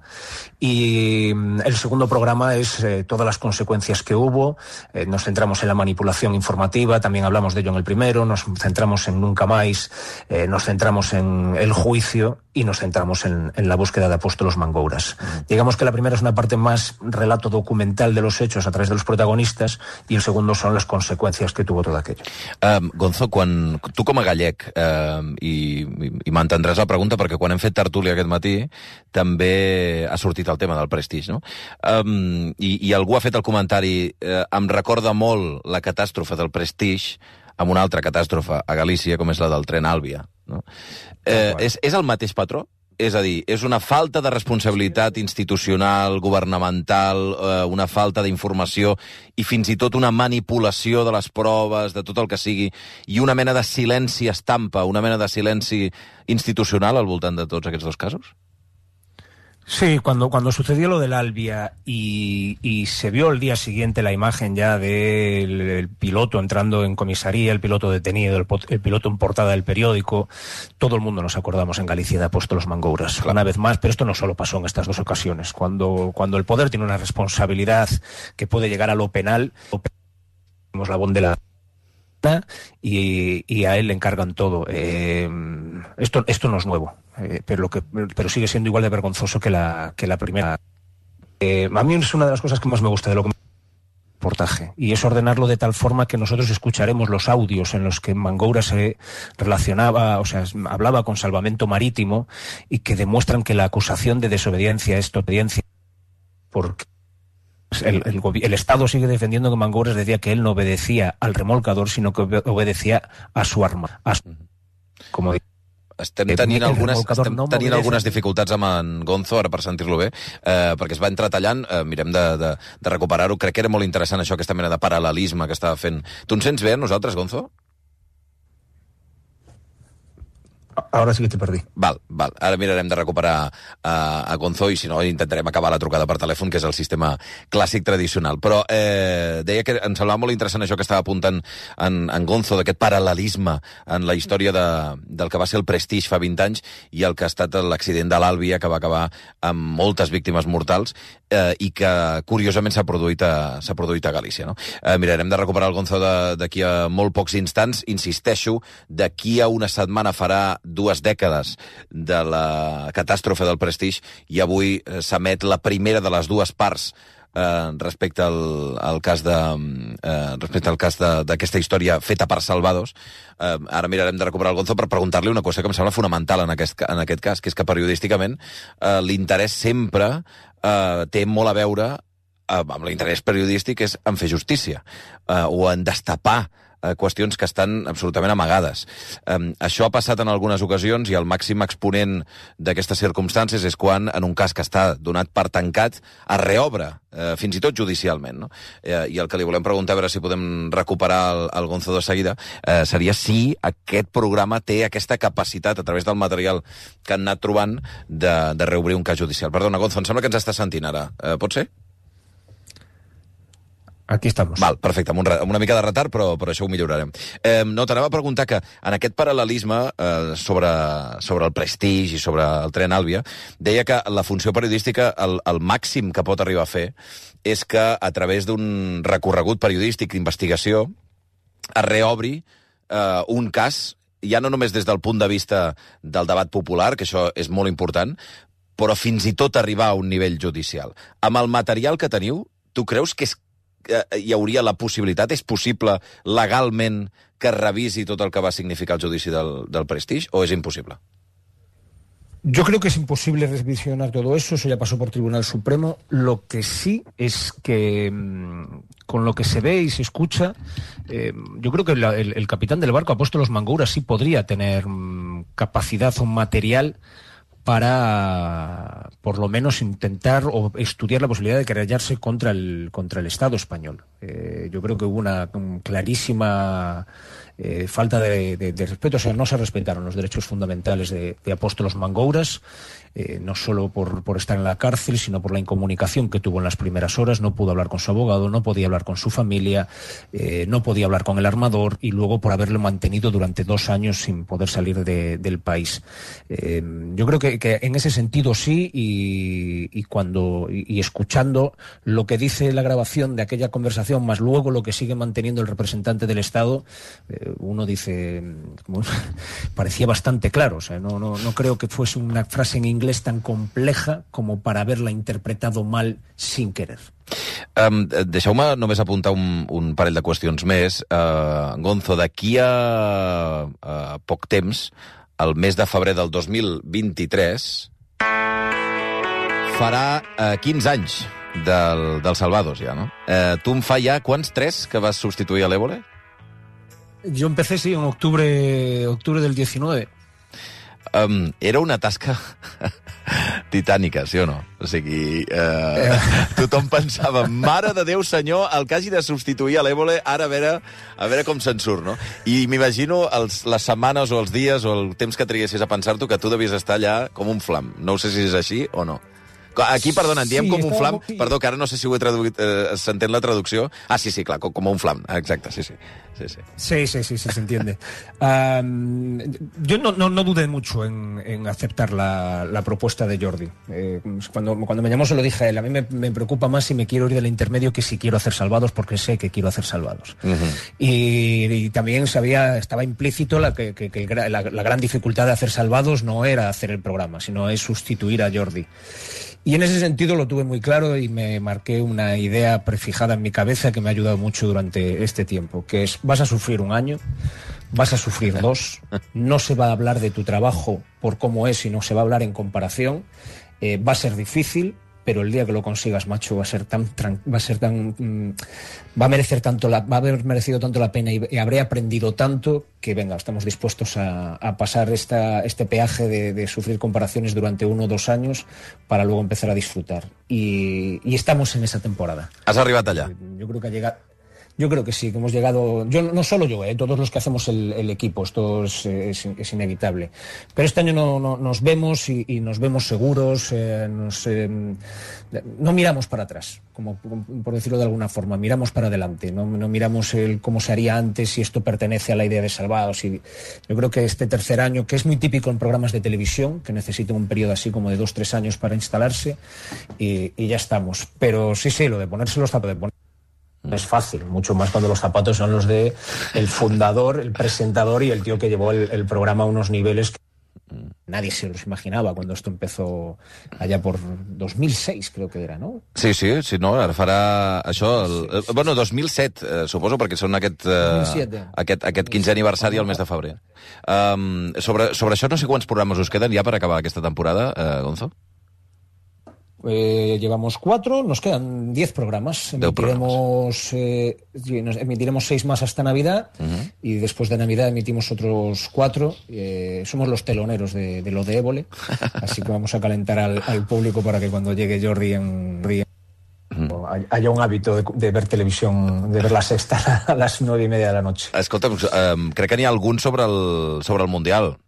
y el segundo programa es eh, todas las consecuencias que hubo. Eh, nos centramos en la manipulación informativa, también hablamos de ello en el primero, nos centramos en Nunca Más, eh, nos centramos en el juicio, y nos centramos en, en la búsqueda de Apóstolos Mangouras. Digamos que la primera es una parte más relato documental de los hechos a través de los protagonistas y el segundo son las consecuencias que tuvo todo aquello. Um, Gonzo, quan, tu com a gallec, um, i, i, i m'entendràs la pregunta perquè quan hem fet tertúlia aquest matí també ha sortit el tema del prestigi, no? Um, i, I algú ha fet el comentari, uh, em recorda molt la catàstrofe del prestigi amb una altra catàstrofe a Galícia, com és la del tren Àlvia. No? Eh, és, és el mateix patró? És a dir, és una falta de responsabilitat institucional, governamental, eh, una falta d'informació i fins i tot una manipulació de les proves, de tot el que sigui, i una mena de silenci estampa, una mena de silenci institucional al voltant de tots aquests dos casos? Sí, cuando, cuando sucedió lo del Albia y, y se vio el día siguiente la imagen ya del el piloto entrando en comisaría, el piloto detenido, el, el piloto en portada del periódico, todo el mundo nos acordamos en Galicia de Apóstolos Mangouras, claro. Una vez más, pero esto no solo pasó en estas dos ocasiones. Cuando, cuando el poder tiene una responsabilidad que puede llegar a lo penal, tenemos la bonde de la Y, y a él le encargan todo. Eh, esto, esto no es nuevo, eh, pero, lo que, pero sigue siendo igual de vergonzoso que la, que la primera. Eh, a mí es una de las cosas que más me gusta de lo que me reportaje, y es ordenarlo de tal forma que nosotros escucharemos los audios en los que Mangoura se relacionaba, o sea, hablaba con Salvamento Marítimo y que demuestran que la acusación de desobediencia es obediencia porque El, el, el Estado sigue defendiendo que Mangouras decía que él no obedecía al remolcador, sino que obedecía a su arma. A su, como Estem tenint algunes, estem no tenint algunes dificultats amb en Gonzo, ara per sentir-lo bé, eh, perquè es va entretallant, eh, mirem de, de, de recuperar-ho. Crec que era molt interessant això, aquesta mena de paral·lelisme que estava fent. Tu ens sents bé a nosaltres, Gonzo? Ahora sí que te perdí. Val, val. Ara mirarem de recuperar uh, a Gonzo i si no intentarem acabar la trucada per telèfon, que és el sistema clàssic tradicional. Però eh, deia que em semblava molt interessant això que estava apuntant en, en Gonzo, d'aquest paral·lelisme en la història de, del que va ser el Prestige fa vint anys i el que ha estat l'accident de l'Àlvia, que va acabar amb moltes víctimes mortals eh, i que curiosament s'ha produït, a, s'ha produït a Galícia. No? Eh, mirarem de recuperar el Gonzo d'aquí a molt pocs instants. Insisteixo, d'aquí a una setmana farà dues dècades de la catàstrofe del Prestige i avui s'emet la primera de les dues parts eh, respecte al, al cas de eh, respecte al cas d'aquesta història feta per Salvados. Eh, ara mirarem de recuperar el Gonzo per preguntar-li una cosa que em sembla fonamental en aquest, en aquest cas, que és que periodísticament eh, l'interès sempre eh, té molt a veure eh, amb l'interès periodístic és en fer justícia eh, o en destapar qüestions que estan absolutament amagades. Um, això ha passat en algunes ocasions i el màxim exponent d'aquestes circumstàncies és quan, en un cas que està donat per tancat, es reobre, uh, fins i tot judicialment. No? Uh, I el que li volem preguntar, a veure si podem recuperar el, el Gonzo de seguida, uh, seria si aquest programa té aquesta capacitat, a través del material que han anat trobant, de, de reobrir un cas judicial. Perdona, Gonzo, em sembla que ens està sentint ara. Uh, pot ser? Aquí estamos. Val, perfecte, amb, un, amb una mica de retard, però, però això ho millorarem. Eh, no, t'anava a preguntar que en aquest paral·lelisme eh, sobre, sobre el Prestige i sobre el tren Àlvia, deia que la funció periodística, el, el màxim que pot arribar a fer, és que a través d'un recorregut periodístic d'investigació es reobri eh, un cas, ja no només des del punt de vista del debat popular, que això és molt important, però fins i tot arribar a un nivell judicial. Amb el material que teniu, tu creus que és hi hauria la possibilitat, és possible legalment que revisi tot el que va significar el judici del, del Prestige, o és impossible? Yo creo que es imposible revisionar todo eso, eso ya pasó por Tribunal Supremo. Lo que sí es que con lo que se ve y se escucha, eh, yo creo que la, el, el capitán del barco, Apóstolos Mangouras, sí podría tener um, capacidad o material para, por lo menos, intentar o estudiar la posibilidad de querellarse contra el, contra el Estado español. Eh, yo creo que hubo una un clarísima eh, falta de, de, de respeto, o sea, no se respetaron los derechos fundamentales de, de Apóstolos Mangouras, eh, no solo por, por estar en la cárcel, sino por la incomunicación que tuvo en las primeras horas. No pudo hablar con su abogado, no podía hablar con su familia, eh, no podía hablar con el armador, y luego por haberlo mantenido durante dos años sin poder salir de, del país. Eh, yo creo que, que en ese sentido sí, y, y cuando y, y escuchando lo que dice la grabación de aquella conversación, más luego lo que sigue manteniendo el representante del Estado, eh, uno dice, bueno, parecía bastante claro. O sea, no, no, no creo que fuese una frase en inglés tan compleja como para haberla interpretado mal sin querer. Um, deixeu-me només apuntar un, un parell de qüestions més. Uh, Gonzo, d'aquí a, a poc temps, el mes de febrer del dos mil vint-i-tres, farà uh, quinze anys del, del Salvados, ja, no? Uh, tu em fa ja quants? Tres que vas substituir a l'Évole? Yo empecé, sí, en octubre, octubre del diecinueve. Um, era una tasca titànica, sí o no? O sigui, eh, tothom pensava, mare de Déu, senyor, el que hagi de substituir a l'Évole, ara a veure, a veure com se'n surt, no? I m'imagino els, les setmanes o els dies o el temps que triguessis a pensar-t'ho que tu devies estar allà com un flam. No sé si és així o no. Aquí, perdona, en diem sí, com un flam... Molt... Perdó, que ara no sé si ho he traduït, eh, s'entén la traducció. Ah, sí, sí, clar, com, com un flam. Exacte, sí, sí. Sí, sí, sí, sí, sí, sí se entiende. Um, yo no, no, no dudé mucho en, en aceptar la, la propuesta de Jordi. Eh, cuando, cuando me llamó se lo dije a él. A mí me, me preocupa más si me quiero ir del intermedio que si quiero hacer Salvados, porque sé que quiero hacer Salvados. Uh-huh. y, y también sabía, estaba implícito la, que, que, que la, la gran dificultad de hacer Salvados no era hacer el programa, sino es sustituir a Jordi. Y en ese sentido lo tuve muy claro y me marqué una idea prefijada en mi cabeza que me ha ayudado mucho durante este tiempo, que es, vas a sufrir un año, vas a sufrir dos, no se va a hablar de tu trabajo por cómo es, sino se va a hablar en comparación, eh, va a ser difícil, pero el día que lo consigas, macho, va a ser tan, va a ser tan, mmm, va a merecer tanto, la, va a haber merecido tanto la pena y, y habré aprendido tanto que, venga, estamos dispuestos a, a pasar esta, este peaje de, de sufrir comparaciones durante uno o dos años para luego empezar a disfrutar. Y, y estamos en esa temporada. ¿Has arribat allá? Yo creo que ha llegado... Yo creo que sí, que hemos llegado, yo no solo yo, eh, todos los que hacemos el, el equipo, esto es, es, es inevitable. Pero este año no, no, nos vemos y, y nos vemos seguros, eh, nos, eh, no miramos para atrás, como por decirlo de alguna forma, miramos para adelante, no, no miramos el cómo se haría antes, si esto pertenece a la idea de Salvados. Y yo creo que este tercer año, que es muy típico en programas de televisión, que necesitan un periodo así como de dos, tres años para instalarse, y, y ya estamos. Pero sí, sí, lo de ponerse los zapatos, de poner... No es fácil, mucho más cuando los zapatos son los de el fundador, el presentador y el tío que llevó el, el programa a unos niveles que nadie se los imaginaba cuando esto empezó allá por dos mil seis, creo que era, no? Sí, sí, sí, no, ara farà això... El, el, bueno, dos mil set, eh, suposo, perquè són aquest, eh, aquest, aquest quinzè aniversari al mes de febrer. Um, sobre, sobre això no sé quants programes us queden ja per acabar aquesta temporada, eh, Gonzo? Eh, llevamos cuatro, nos quedan diez programas. Emitiremos, eh, nos emitiremos seis más hasta Navidad uh-huh. y después de Navidad emitimos otros cuatro. Eh, somos los teloneros de, de lo de Évole, así que vamos a calentar al, al público para que cuando llegue Jordi en, uh-huh. haya un hábito de, de ver televisión, de ver la sexta a las nueve y media de la noche. Escolta, um, crec que n'hi ha algun sobre el, sobre el Mundial,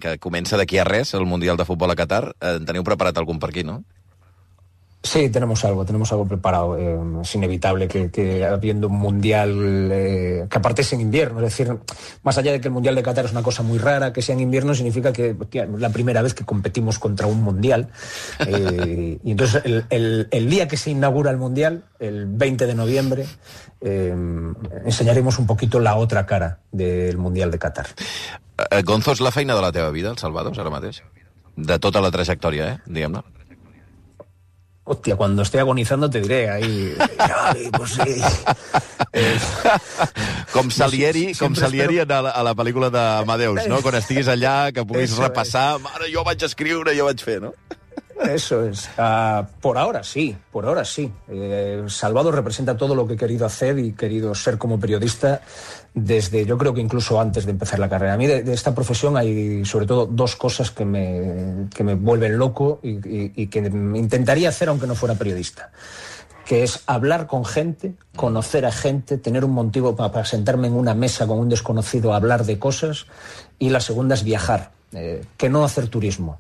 que comença d'aquí a res, el Mundial de Futbol a Qatar. Eh, teniu preparat algun per aquí, no? Sí, tenemos algo, tenemos algo preparado. Eh, es inevitable que, que habiendo un mundial, eh, que aparte es en invierno, es decir, más allá de que el mundial de Qatar es una cosa muy rara, que sea en invierno significa que, que es la primera vez que competimos contra un mundial. Eh, y entonces el, el, el día que se inaugura el mundial, el veinte de noviembre, eh, enseñaremos un poquito la otra cara del mundial de Qatar. Eh, Gonzo, és la feina de la teva vida, el Salvados, ara mateix? De tota la trajectòria, eh? Diguem-ne. Hostia, cuando esté agonizando te diré ahí... Ay, pues sí. Eh, com Salieri, no, com Salieri espero... a, la, a la pel·lícula d'Amadeus, no? Quan estiguis allà, que puguis Eso repassar... Es. Mare, jo vaig escriure, jo vaig fer, no? Eso es. Uh, por ahora sí, por ahora sí. Eh, Salvados representa todo lo que he querido hacer y querido ser como periodista desde, yo creo que incluso antes de empezar la carrera. A mí de, de esta profesión hay sobre todo dos cosas que me, que me vuelven loco y, y, y que intentaría hacer aunque no fuera periodista. Que es hablar con gente, conocer a gente, tener un motivo para, para sentarme en una mesa con un desconocido a hablar de cosas. Y la segunda es viajar, eh, que no hacer turismo.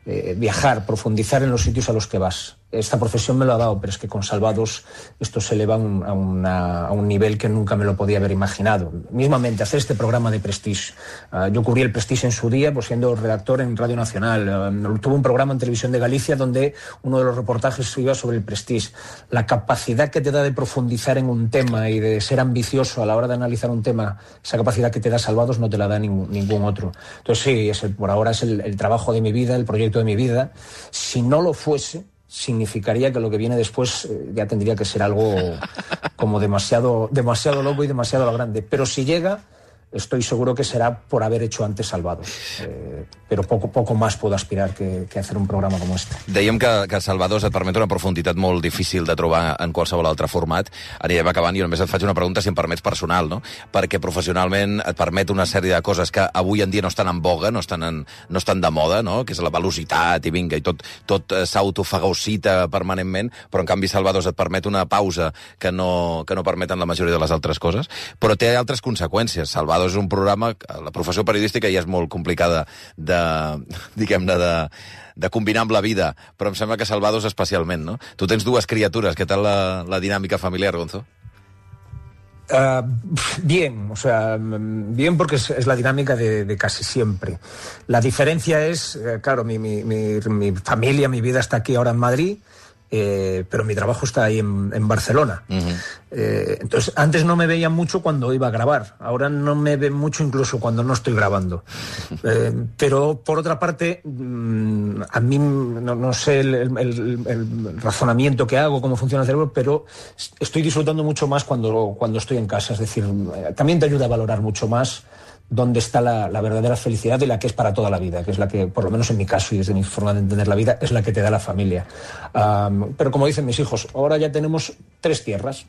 Eh, viajar, profundizar en los sitios a los que vas. esta profesión me lo ha dado, pero es que con Salvados esto se eleva a un, a una, a un nivel que nunca me lo podía haber imaginado. Mismamente, hacer este programa de Prestige. Uh, yo cubrí el Prestige en su día, pues siendo redactor en Radio Nacional. Uh, tuve un programa en Televisión de Galicia donde uno de los reportajes iba sobre el Prestige. La capacidad que te da de profundizar en un tema y de ser ambicioso a la hora de analizar un tema, esa capacidad que te da Salvados no te la da ningún, ningún otro. Entonces sí, es el, por ahora es el, el trabajo de mi vida, el proyecto de mi vida. Si no lo fuese, significaría que lo que viene después eh, ya tendría que ser algo como demasiado, demasiado loco y demasiado a lo grande. Pero si llega, estoy seguro que será por haver hecho antes Salvados. Eh, però poc, poc més puedo aspirar que, que hacer un programa com este. Dèiem que, que Salvados et permet una profunditat molt difícil de trobar en qualsevol altre format. Anirem acabant i només et faig una pregunta, si em permets, personal, no? Perquè professionalment et permet una sèrie de coses que avui en dia no estan en boga, no estan, en, no estan de moda, no? Que és la velocitat i vinga, i tot, tot s'autofagocita permanentment, però en canvi Salvados et permet una pausa que no, que no permeten la majoria de les altres coses, però té altres conseqüències. Salvados és un programa, la professió periodística ja és molt complicada de, diguem-ne, de, de combinar amb la vida, però em sembla que Salvados especialment, no? Tu tens dues criatures, què tal la, la dinàmica familiar, Gonzo? Uh, bien, o sea, bien porque es, es la dinámica de, de casi siempre. La diferencia es, eh, claro, mi, mi, mi, mi familia, mi vida está aquí ahora en Madrid, Eh, pero mi trabajo está ahí en, en Barcelona. Uh-huh. eh, entonces, antes no me veían mucho cuando iba a grabar, ahora no me ven mucho incluso cuando no estoy grabando. Eh, pero, por otra parte, mmm, a mí no, no sé el, el, el, el razonamiento que hago, cómo funciona el cerebro, pero estoy disfrutando mucho más cuando, cuando estoy en casa. Es decir, también te ayuda a valorar mucho más dónde está la, la verdadera felicidad y la que es para toda la vida, que es la que, por lo menos en mi caso y desde mi forma de entender la vida, es la que te da la familia. Um, pero como dicen mis hijos, ahora ya tenemos tres tierras,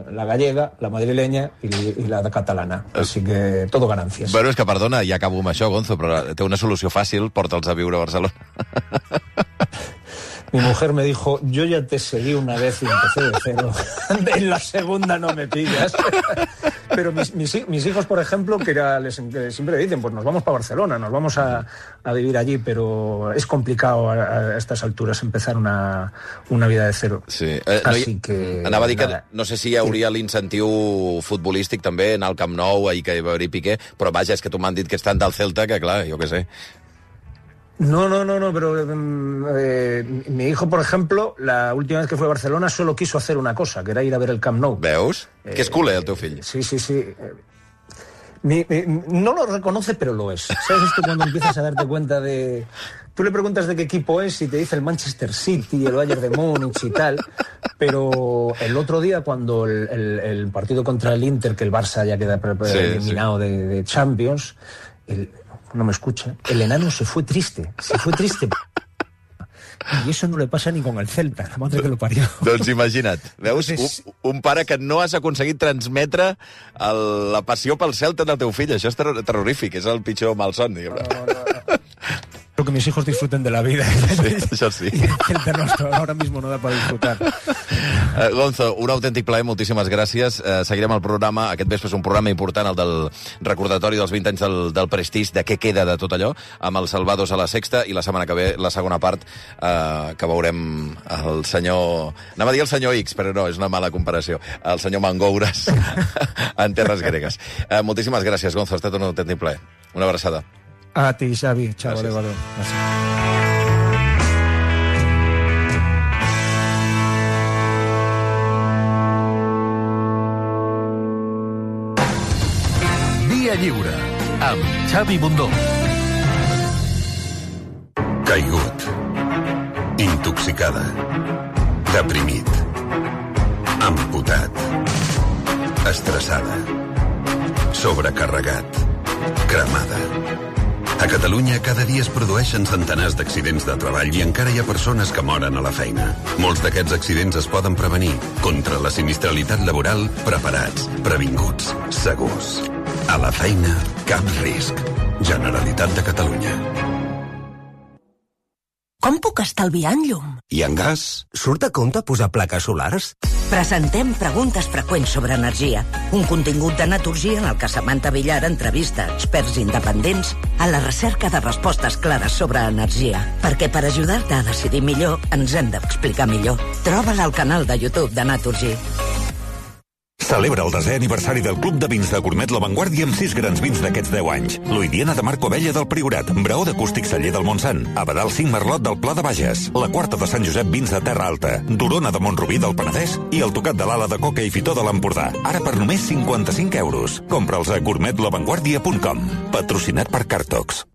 la gallega, la madrileña y, y la catalana. Así que todo ganancias. Bueno, és que, perdona, ja acabo amb això, Gonzo, però té una solució fàcil, porta'ls a viure a Barcelona. Mi mujer me dijo, yo ya te seguí una vez y empecé de cero. En la segunda no me pillas. Pero mis, mis, mis hijos, por ejemplo, que era, les, que siempre dicen, pues nos vamos para Barcelona, nos vamos a, a vivir allí, pero es complicado a, a estas alturas empezar una, una vida de cero. Sí. Eh, Así no hi, que... Anava a dir que nada. no sé si hi hauria sí. l'incentiu futbolístic també en el Camp Nou, ahir que hi va haver Piqué, però vaja, és que tu m'han dit que estan del Celta, que clar, jo què sé. No, no, no, no, pero eh, mi hijo, por ejemplo, la última vez que fue a Barcelona solo quiso hacer una cosa, que era ir a ver el Camp Nou. ¿Veus? Eh, que es culer, el teu fill. Sí, sí, sí. Mi, mi, no lo reconoce, pero lo es. ¿Sabes esto cuando empiezas a darte cuenta de... Tú le preguntas de qué equipo es y te dice el Manchester City, el Bayern de Múnich y tal, pero el otro día cuando el, el, el partido contra el Inter, que el Barça ya queda sí, eliminado sí. De, de Champions... El, no me escucha, el enano se fue triste, se fue triste. I això no le passa ni con el Celta, la madre que lo parió. Doncs imagina't, veus? Un, un pare que no has aconseguit transmetre el, la passió pel Celta del teu fill. Això és ter terrorífic, és el pitjor malson, diguem-ne. No, no, no. Creo que mis hijos disfruten de la vida. Sí, això sí. Y el de nuestro ahora mismo no da para disfrutar. Uh, Gonzo, un autèntic plaer, moltíssimes gràcies. Uh, seguirem el programa, aquest vespre és un programa important, el del recordatori dels vint anys del, del Prestige, de què queda de tot allò, amb els Salvados a la Sexta, i la setmana que ve, la segona part, uh, que veurem el senyor... Anava a dir el senyor X, però no, és una mala comparació. El senyor Mangoures en terres gregues. Uh, moltíssimes gràcies, Gonzo, ha estat un autèntic plaer. Una abraçada. A ti, Xavi. Chao, adéu, adéu. Gràcies. Via Lliure, amb Xavi Bundó. Caigut. Intoxicada. Deprimit. Amputat. Estressada. Sobrecarregat. Cremada. A Catalunya cada dia es produeixen centenars d'accidents de treball i encara hi ha persones que moren a la feina. Molts d'aquests accidents es poden prevenir. Contra la sinistralitat laboral, preparats, previnguts, segurs. A la feina, cap risc. Generalitat de Catalunya. Com puc estalviar en llum? I en gas? Surt a compte posar plaques solars? Presentem preguntes freqüents sobre energia. Un contingut de Naturgy en el que Samantha Villar entrevista experts independents a la recerca de respostes clares sobre energia. Perquè per ajudar-te a decidir millor, ens hem d'explicar millor. Troba-la al canal de YouTube de Naturgy. Celebra el desè aniversari del Club de Vins de Gourmet La Vanguardia amb sis grans vins d'aquests deu anys. L'Oidiana de Marco Abella del Priorat, Braó d'Acústic Celler del Montsant, Abadal cinc Merlot del Pla de Bages, la Quarta de Sant Josep Vins de Terra Alta, Dorona de Montrubí del Penedès i el Tocat de l'Ala de Coca i Fitó de l'Empordà. Ara per només cinquanta-cinc euros. Compra'ls a gourmet la vanguardia punt com. Patrocinat per Cartox.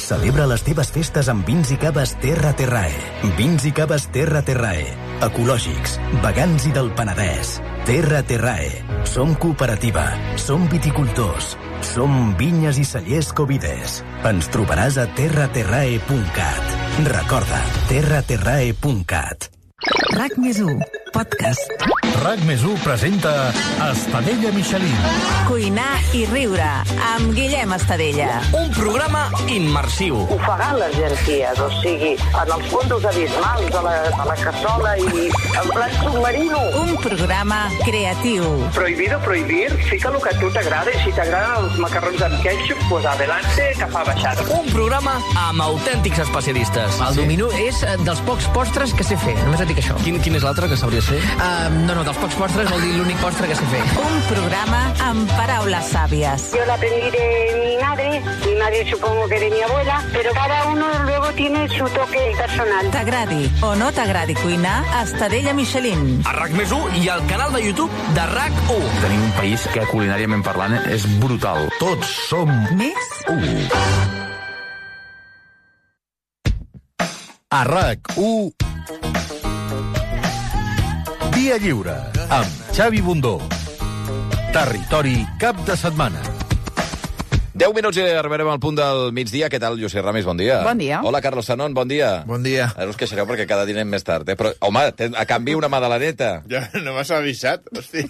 Celebra les teves festes amb vins i caves Terra Terrae. Vins i caves Terra Terrae. Ecològics, vegans i del Penedès. Terra Terrae. Som cooperativa. Som viticultors. Som vinyes i cellers Covides. Ens trobaràs a terra terrae punt cat. Recorda, terra terrae punt cat. RAC més u, podcast. RAC més u presenta Estadella Michelin. Cuinar i riure, amb Guillem Estadella. Un programa immersiu. Ofegar les genties, o sigui, en els fondos abismals de la, de la cassola i en plan submarino. Un programa creatiu. Prohibido prohibir, fica el que a tu t'agrada i si t'agraden els macarrons amb ketchup, pues adelante, que fa baixada. Un programa amb autèntics especialistes. El dominó és dels pocs postres que sé fer, només et dic això. Quin, quin és l'altre que sabries fer? Uh, no, no, dels pocs postres vol dir l'únic postre que sé fer. Un programa amb paraules sàvies. Yo la aprendí de mi madre, mi madre supongo que de mi abuela, pero cada uno luego tiene su toque personal. T'agradi o no t'agradi cuinar, Estadella Michelin. A RAC més u i al canal de YouTube de RAC u. Tenim un país que culinàriament parlant és brutal. Tots som més u. A RAC u Dia Lliure, amb Xavi Bundó. Territori cap de setmana. deu minuts i arribarem al punt del migdia. Què tal, José Ramis? Bon dia. Bon dia. Hola, Carlos Sanón, bon dia. Bon dia. Ara us queixareu perquè cada dia anem més tard, eh? Però, home, a canvi una madaleneta. Ja no m'has avisat, hosti.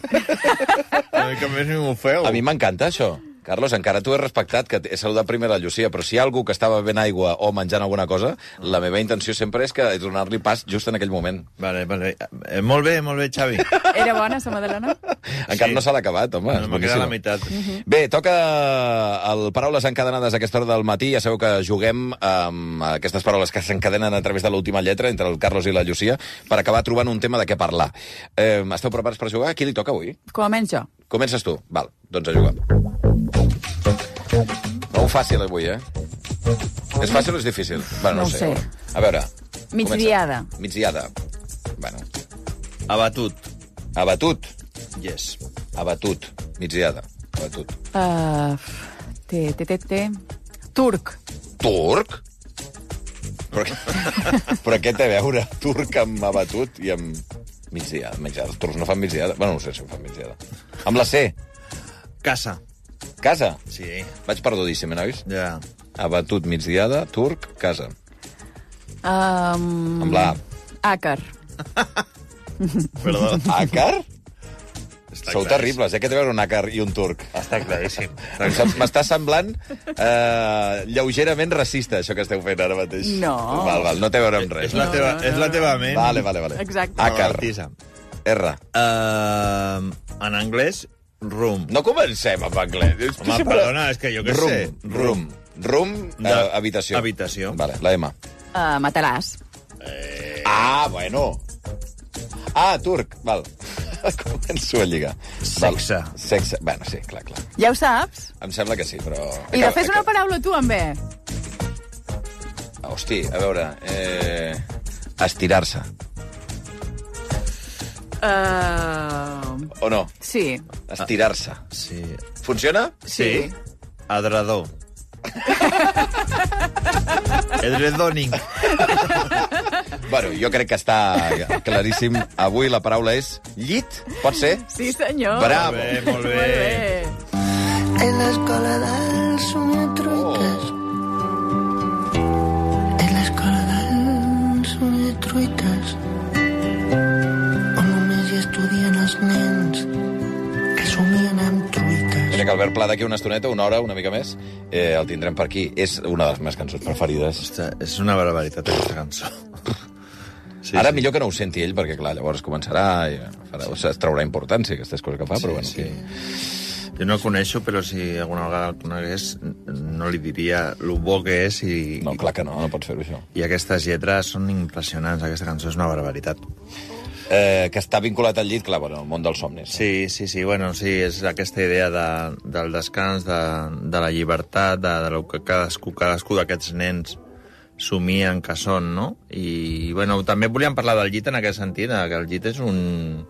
A mi que més ni m'ho feu. A mi m'encanta això. Carlos, encara t'ho he respectat, que he saludat primer la Llucia, però si hi ha algú que estava bevent aigua o menjant alguna cosa, la meva intenció sempre és que donar-li pas just en aquell moment. Vale, vale. Eh, molt bé, molt bé, Xavi. Era bona, sa madalena? Encara sí. No s'ha acabat, home. No, m'ha quedat la meitat. Uh-huh. Bé, toca el Paraules encadenades a aquesta hora del matí. Ja sabeu que juguem amb aquestes paraules que s'encadenen a través de l'última lletra entre el Carlos i la Llucia per acabar trobant un tema de què parlar. Eh, esteu preparats per jugar? A qui li toca avui? Començo jo. Comences tu. Val, doncs a jugar. Prou fàcil avui, eh? És fàcil o és difícil? Bueno, no, no ho sé. A veure. Migdiada. Comença. Migdiada. Bueno. Abatut. Abatut. Yes. Abatut. Migdiada. Abatut. Uh, té, té, té, té. Turc. Turc? Però, però què té a veure turc amb abatut i amb migdiada? migdiada? Els turcs no fan migdiada. Bueno, no sé si ho fan migdiada. Amb la C. Casa. Casa? Sí. Vaig perdudíssim, eh, nois? Ja. Abatut, migdiada, turc, casa. Um... Amb la A. Àcar. Perdó. Àcar? Està Sou claríssim. terribles, eh, que té a veure un àcar i un turc. Està claríssim. M'està semblant eh, lleugerament racista, això que esteu fent ara mateix. No. Val, val, no té a veure amb res. És la teva, és la teva ment. Vale, vale, vale. Exacte. Àcar. Malaltissa. R. Uh, en anglès, room. No comencem amb anglès. Home, perdona, és que jo què room, sé. Room. Room, De- eh, habitació. habitació. Vale, la M. Uh, matalàs. Eh... Ah, bueno. Ah, turc, val. Començo a lligar. Sexe. Val. Sexe. Bueno, sí, clar, clar. Ja ho saps? Em sembla que sí, però... I de fes una paraula tu, amb B. Hosti, a veure... Eh... Estirar-se. Uh... O no? Sí. Estirar-se. Sí. Funciona? Sí. Adredor. Edredoning. Bueno, jo crec que està claríssim. Avui la paraula és llit, pot ser? Sí, senyor. Bravo. Molt bé, molt bé. Molt bé. En l'escola dels somiatruites. En l'escola dels somiatruites. On només hi estudien els nens que somien amb truites. Mira que Albert Pla d'aquí una estoneta, una hora, una mica més, eh, el tindrem per aquí. És una de les meves cançons preferides. Ostres, és una barbaritat, aquesta cançó. Sí, Ara sí. millor que no ho senti ell, perquè, clar, llavors començarà i farà, o sigui, es traurà importància, aquestes coses que fa, sí, però bueno... Sí. Que... Jo no el coneixo, però si alguna vegada el conegués, no li diria lo bo que és i... No, clar que no, no pots fer-ho, això. I aquestes lletres són impressionants, aquesta cançó és una barbaritat. Eh, que està vinculat al llit, clar, bueno, al món dels somnis. Sí, sí, sí, bueno, sí, és aquesta idea de, del descans, de, de la llibertat, de, de lo que cadascú, cadascú d'aquests nens somien que són, no? I, bueno, també volíem parlar del llit en aquest sentit, que el llit és un...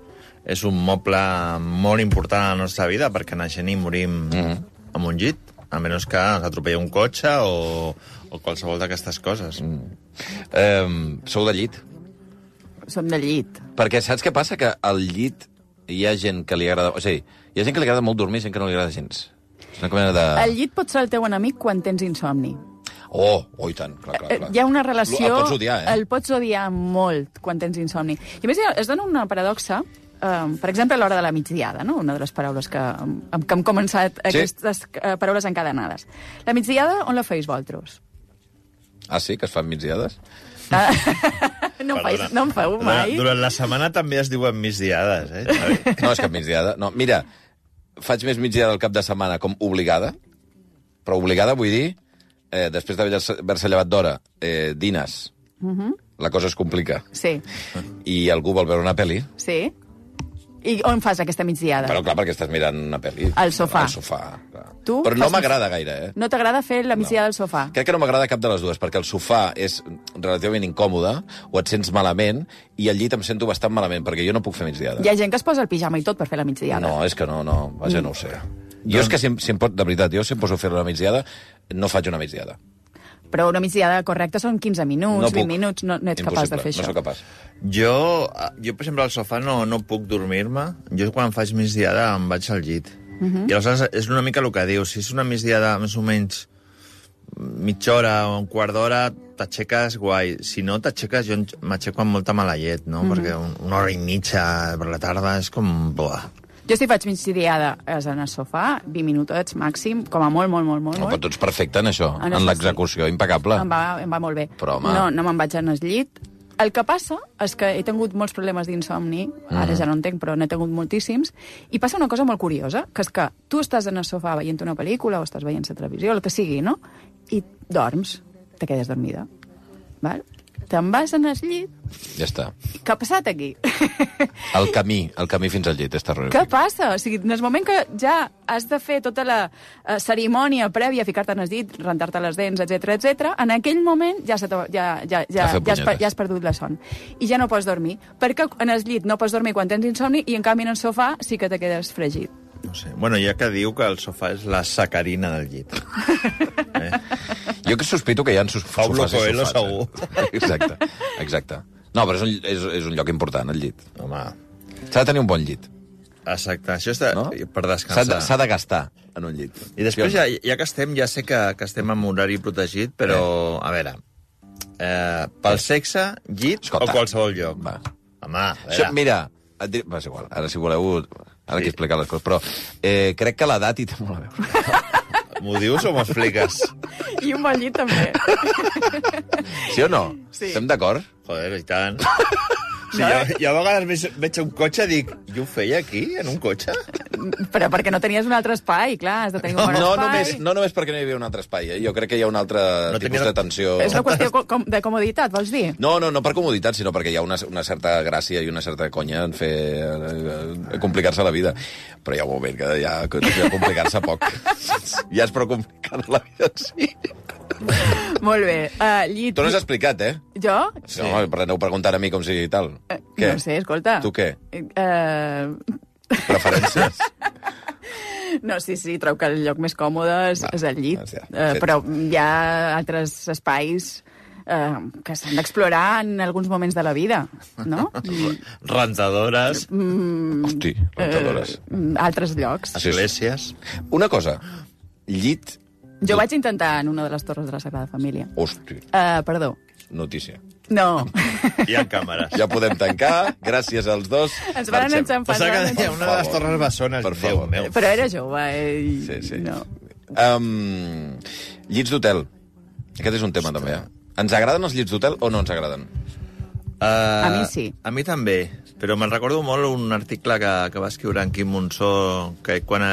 és un moble molt important a la nostra vida, perquè naixem i morim mm-hmm. amb un llit, a menys que ens atropella un cotxe o, o qualsevol d'aquestes coses. Mm. Eh, sou de llit? Som de llit. Perquè saps què passa? Que al llit hi ha gent que li agrada... O sigui, hi ha gent que li agrada molt dormir i gent que no li agrada gens. És una comèdia de... El llit pot ser el teu enemic quan tens insomni. Oh, oh, i tant, clar, clar, clar. Hi ha una relació... El pots odiar, eh? El pots odiar molt quan tens insomni. I a més, es dona una paradoxa. Um, per exemple, a l'hora de la migdiada, no? Una de les paraules que, amb, que hem començat, sí. Aquestes uh, paraules encadenades. La migdiada, on la feis, vosaltres? Ah, sí? Que es fan migdiades? Ah, no, feis, no em feu mai. Durant, durant la setmana també es diuen migdiades, eh, Xavi? No, és que migdiada... No, mira, faig més migdiada al cap de setmana com obligada, però obligada vull dir, eh, després d'haver-se llevat d'hora, eh, dines, uh-huh. la cosa es complica. Sí. I algú vol veure una pel·li. Sí. I on fas aquesta migdiada? Però clar, perquè estàs mirant una pel·li. Al sofà. Al sofà, clar. Tu Però no fas... m'agrada gaire, eh? No t'agrada fer la migdiada no. al sofà? Crec que no m'agrada cap de les dues, perquè el sofà és relativament incòmode, o et sents malament, i al llit em sento bastant malament, perquè jo no puc fer migdiada. Hi ha gent que es posa el pijama i tot per fer la migdiada. No, és que no, no, vaja, mm. no ho sé. Jo doncs... és que si, si em pot, de veritat, jo si em poso a fer una migdiada, no faig una migdiada. Però una migdiada correcta són quinze minuts, no vint minuts, no, no ets Impossible. capaç de fer això. No soc capaç. Jo, jo, per exemple, al sofà no, no puc dormir-me. Jo, quan faig migdiada, em vaig al llit. Uh-huh. I aleshores és una mica el que dius. Si és una migdiada més o menys mitja hora o un quart d'hora, t'aixeques guai. Si no t'aixeques, jo m'aixeco amb molta mala llet, no? Uh-huh. Perquè una hora i mitja per la tarda és com... Buah. Jo si faig migdiada és en el sofà, vint minutets màxim, com a molt, molt, molt, molt. No, però tu ets perfecte en això, en, en l'execució, impecable. Em va, em va molt bé. Però, home... No, no me'n vaig en el llit. El que passa és que he tingut molts problemes d'insomni, ara mm. ja no en tinc, però n'he tingut moltíssims, i passa una cosa molt curiosa, que és que tu estàs en el sofà veient una pel·lícula o estàs veient la televisió, el que sigui, no? I dorms, te quedes dormida. Val? Te'n vas en el llit... Ja està. Què ha passat aquí? El camí, el camí fins al llit és terrorífic. Què passa? O sigui, en el moment que ja has de fer tota la uh, cerimònia prèvia, ficar-te en el llit, rentar-te les dents, etcètera, etcètera, en aquell moment ja, se ja, ja, ja, ja, has, ja has perdut la son. I ja no pots dormir. Perquè en el llit no pots dormir quan tens insomni i, en canvi, en el sofà sí que te quedes fregit. No sé. Bueno, ja que diu que el sofà és la sacarina del llit. eh? Jo que sospito que hi ha sofàs Paulo i sofàs. Coelho, segur. Eh? Exacte, exacte. No, però és un, és, és un lloc important, el llit. Home. S'ha de tenir un bon llit. Exacte, això està no? per descansar. S'ha de, s'ha de gastar en un llit. I després, ja, ja que estem, ja sé que, que estem en horari protegit, però, eh. a veure, eh, pel eh. sexe, llit Escolta. o qualsevol lloc? Va. Home, a veure. Això, mira, et diré... Va, és igual, ara si voleu... Ara sí. que explicar les coses, però eh, crec que l'edat hi té molt a veure. M'ho dius o m'ho expliques? I un bon llit, també. Sí o no? Sí. Estem d'acord? Joder, i tant. Sí, no, jo, jo a vegades veig un cotxe i dic, jo ho feia aquí, en un cotxe? Però perquè no tenies un altre espai, clar, has de tenir un bon no, espai. Només, no només perquè no hi havia un altre espai, eh? Jo crec que hi ha un altre no tipus tenia... de tensió... És una qüestió com, de comoditat, vols dir? No, no, no per comoditat, sinó perquè hi ha una, una certa gràcia i una certa conya en fer eh, complicar-se la vida. Però hi ha un moment que ja, ja complicar-se poc. Ja és prou complicada la vida, sí. Molt bé. Uh, llit... Tu no has explicat, eh? Jo? Sí. No, aneu preguntant a mi com si tal. Uh, què? No sé, escolta. Tu què? Uh... Preferències? No, sí, sí, trobo que el lloc més còmode és, Va, és el llit. Ja, uh, però hi ha altres espais uh, que s'han d'explorar en alguns moments de la vida, no? Rentadores. Mm, Hosti, rentadores. Uh, altres llocs. Esglésies. Una cosa, llit... Jo vaig intentar en una de les torres de la Sagrada Família. Hosti. Uh, perdó. notícia. No. Hi ha càmeres. Ja podem tancar. Gràcies als dos. Ens van Marxem. enxampar. Pensava que deia una de les torres bessones. Per favor. Déu meu. Però era jove, eh? Sí, sí. No. Um, llits d'hotel. Aquest és un tema, també, eh? Ens agraden els llits d'hotel o no ens agraden? Uh, A mi sí. A mi també, però me'n recordo molt un article que, que va escriure en Quim Monsó, que, quan,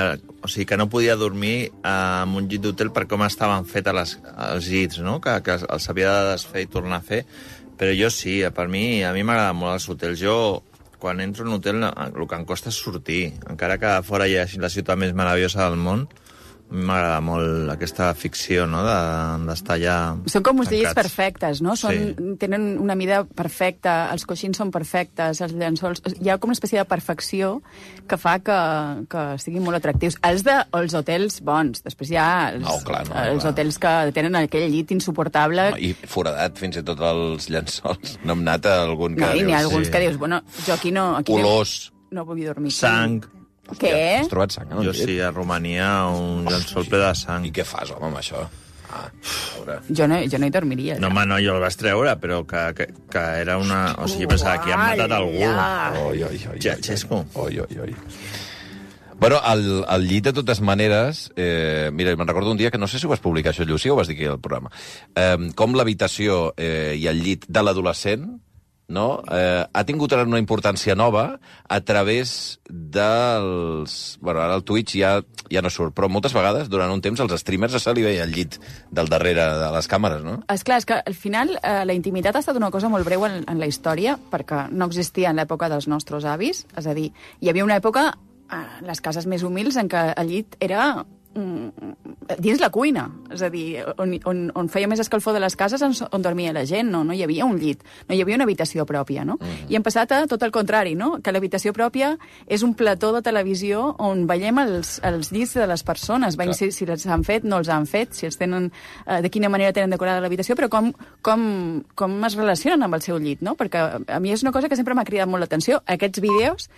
o sigui, que no podia dormir en un llit d'hotel per com estaven fets les, els llits, no? que, que els havia de desfer i tornar a fer. Però jo sí, per mi, a mi m'agraden molt els hotels. Jo, quan entro en un hotel, el que em costa és sortir. Encara que fora hi hagi la ciutat més meravellosa del món, a mi m'agrada molt aquesta ficció, no?, d'estar allà Són com uns tancats. llits perfectes, no? Són, Sí. Tenen una mida perfecta, els coixins són perfectes, els llençols... Hi ha com una espècie de perfecció que fa que, que siguin molt atractius. Els de els hotels bons, després hi ha els, No, clar, no, els clar. hotels que tenen aquell llit insuportable. I foradat, fins i tot els llençols. No hem anat a algun que No, i n'hi ha dius, alguns sí. que dius, bueno, jo aquí no... Aquí Olors. No, no vull dormir. Sang. Què? Has trobat sang? Jo sí, a Romania, un llençol ple de sang. I què fas, home, amb això? Ah, a veure. Jo no, jo no hi dormiria. No, home, no, jo el vaig treure, però que, que, que era una... O sigui, jo pensava que han matat algú. Oi, oi, oi. Ja, Xesco. Oi, oi, oi. Bueno, el, el llit, de totes maneres... Eh, mira, me'n recordo un dia que no sé si ho vas publicar, això, Llucia, o ho vas dir aquí al programa. Eh, com l'habitació eh, i el llit de l'adolescent, no? Eh, ha tingut ara una importància nova a través dels... Bueno, ara el Twitch ja, ja no surt, però moltes vegades, durant un temps, als streamers se li veia el llit del darrere de les càmeres, no? Esclar, és que al final eh, la intimitat ha estat una cosa molt breu en, en la història, perquè no existia en l'època dels nostres avis, és a dir, hi havia una època, eh, les cases més humils, en què el llit era mm, dins la cuina, és a dir, on, on, on feia més escalfor de les cases on, on dormia la gent, no? No hi havia un llit, no hi havia una habitació pròpia, no? Mm. I hem passat a tot el contrari, no? Que l'habitació pròpia és un plató de televisió on veiem els, els llits de les persones, veiem si, si els han fet, no els han fet, si els tenen, eh, de quina manera tenen decorada l'habitació, però com, com, com es relacionen amb el seu llit, no? Perquè a mi és una cosa que sempre m'ha cridat molt l'atenció. Aquests vídeos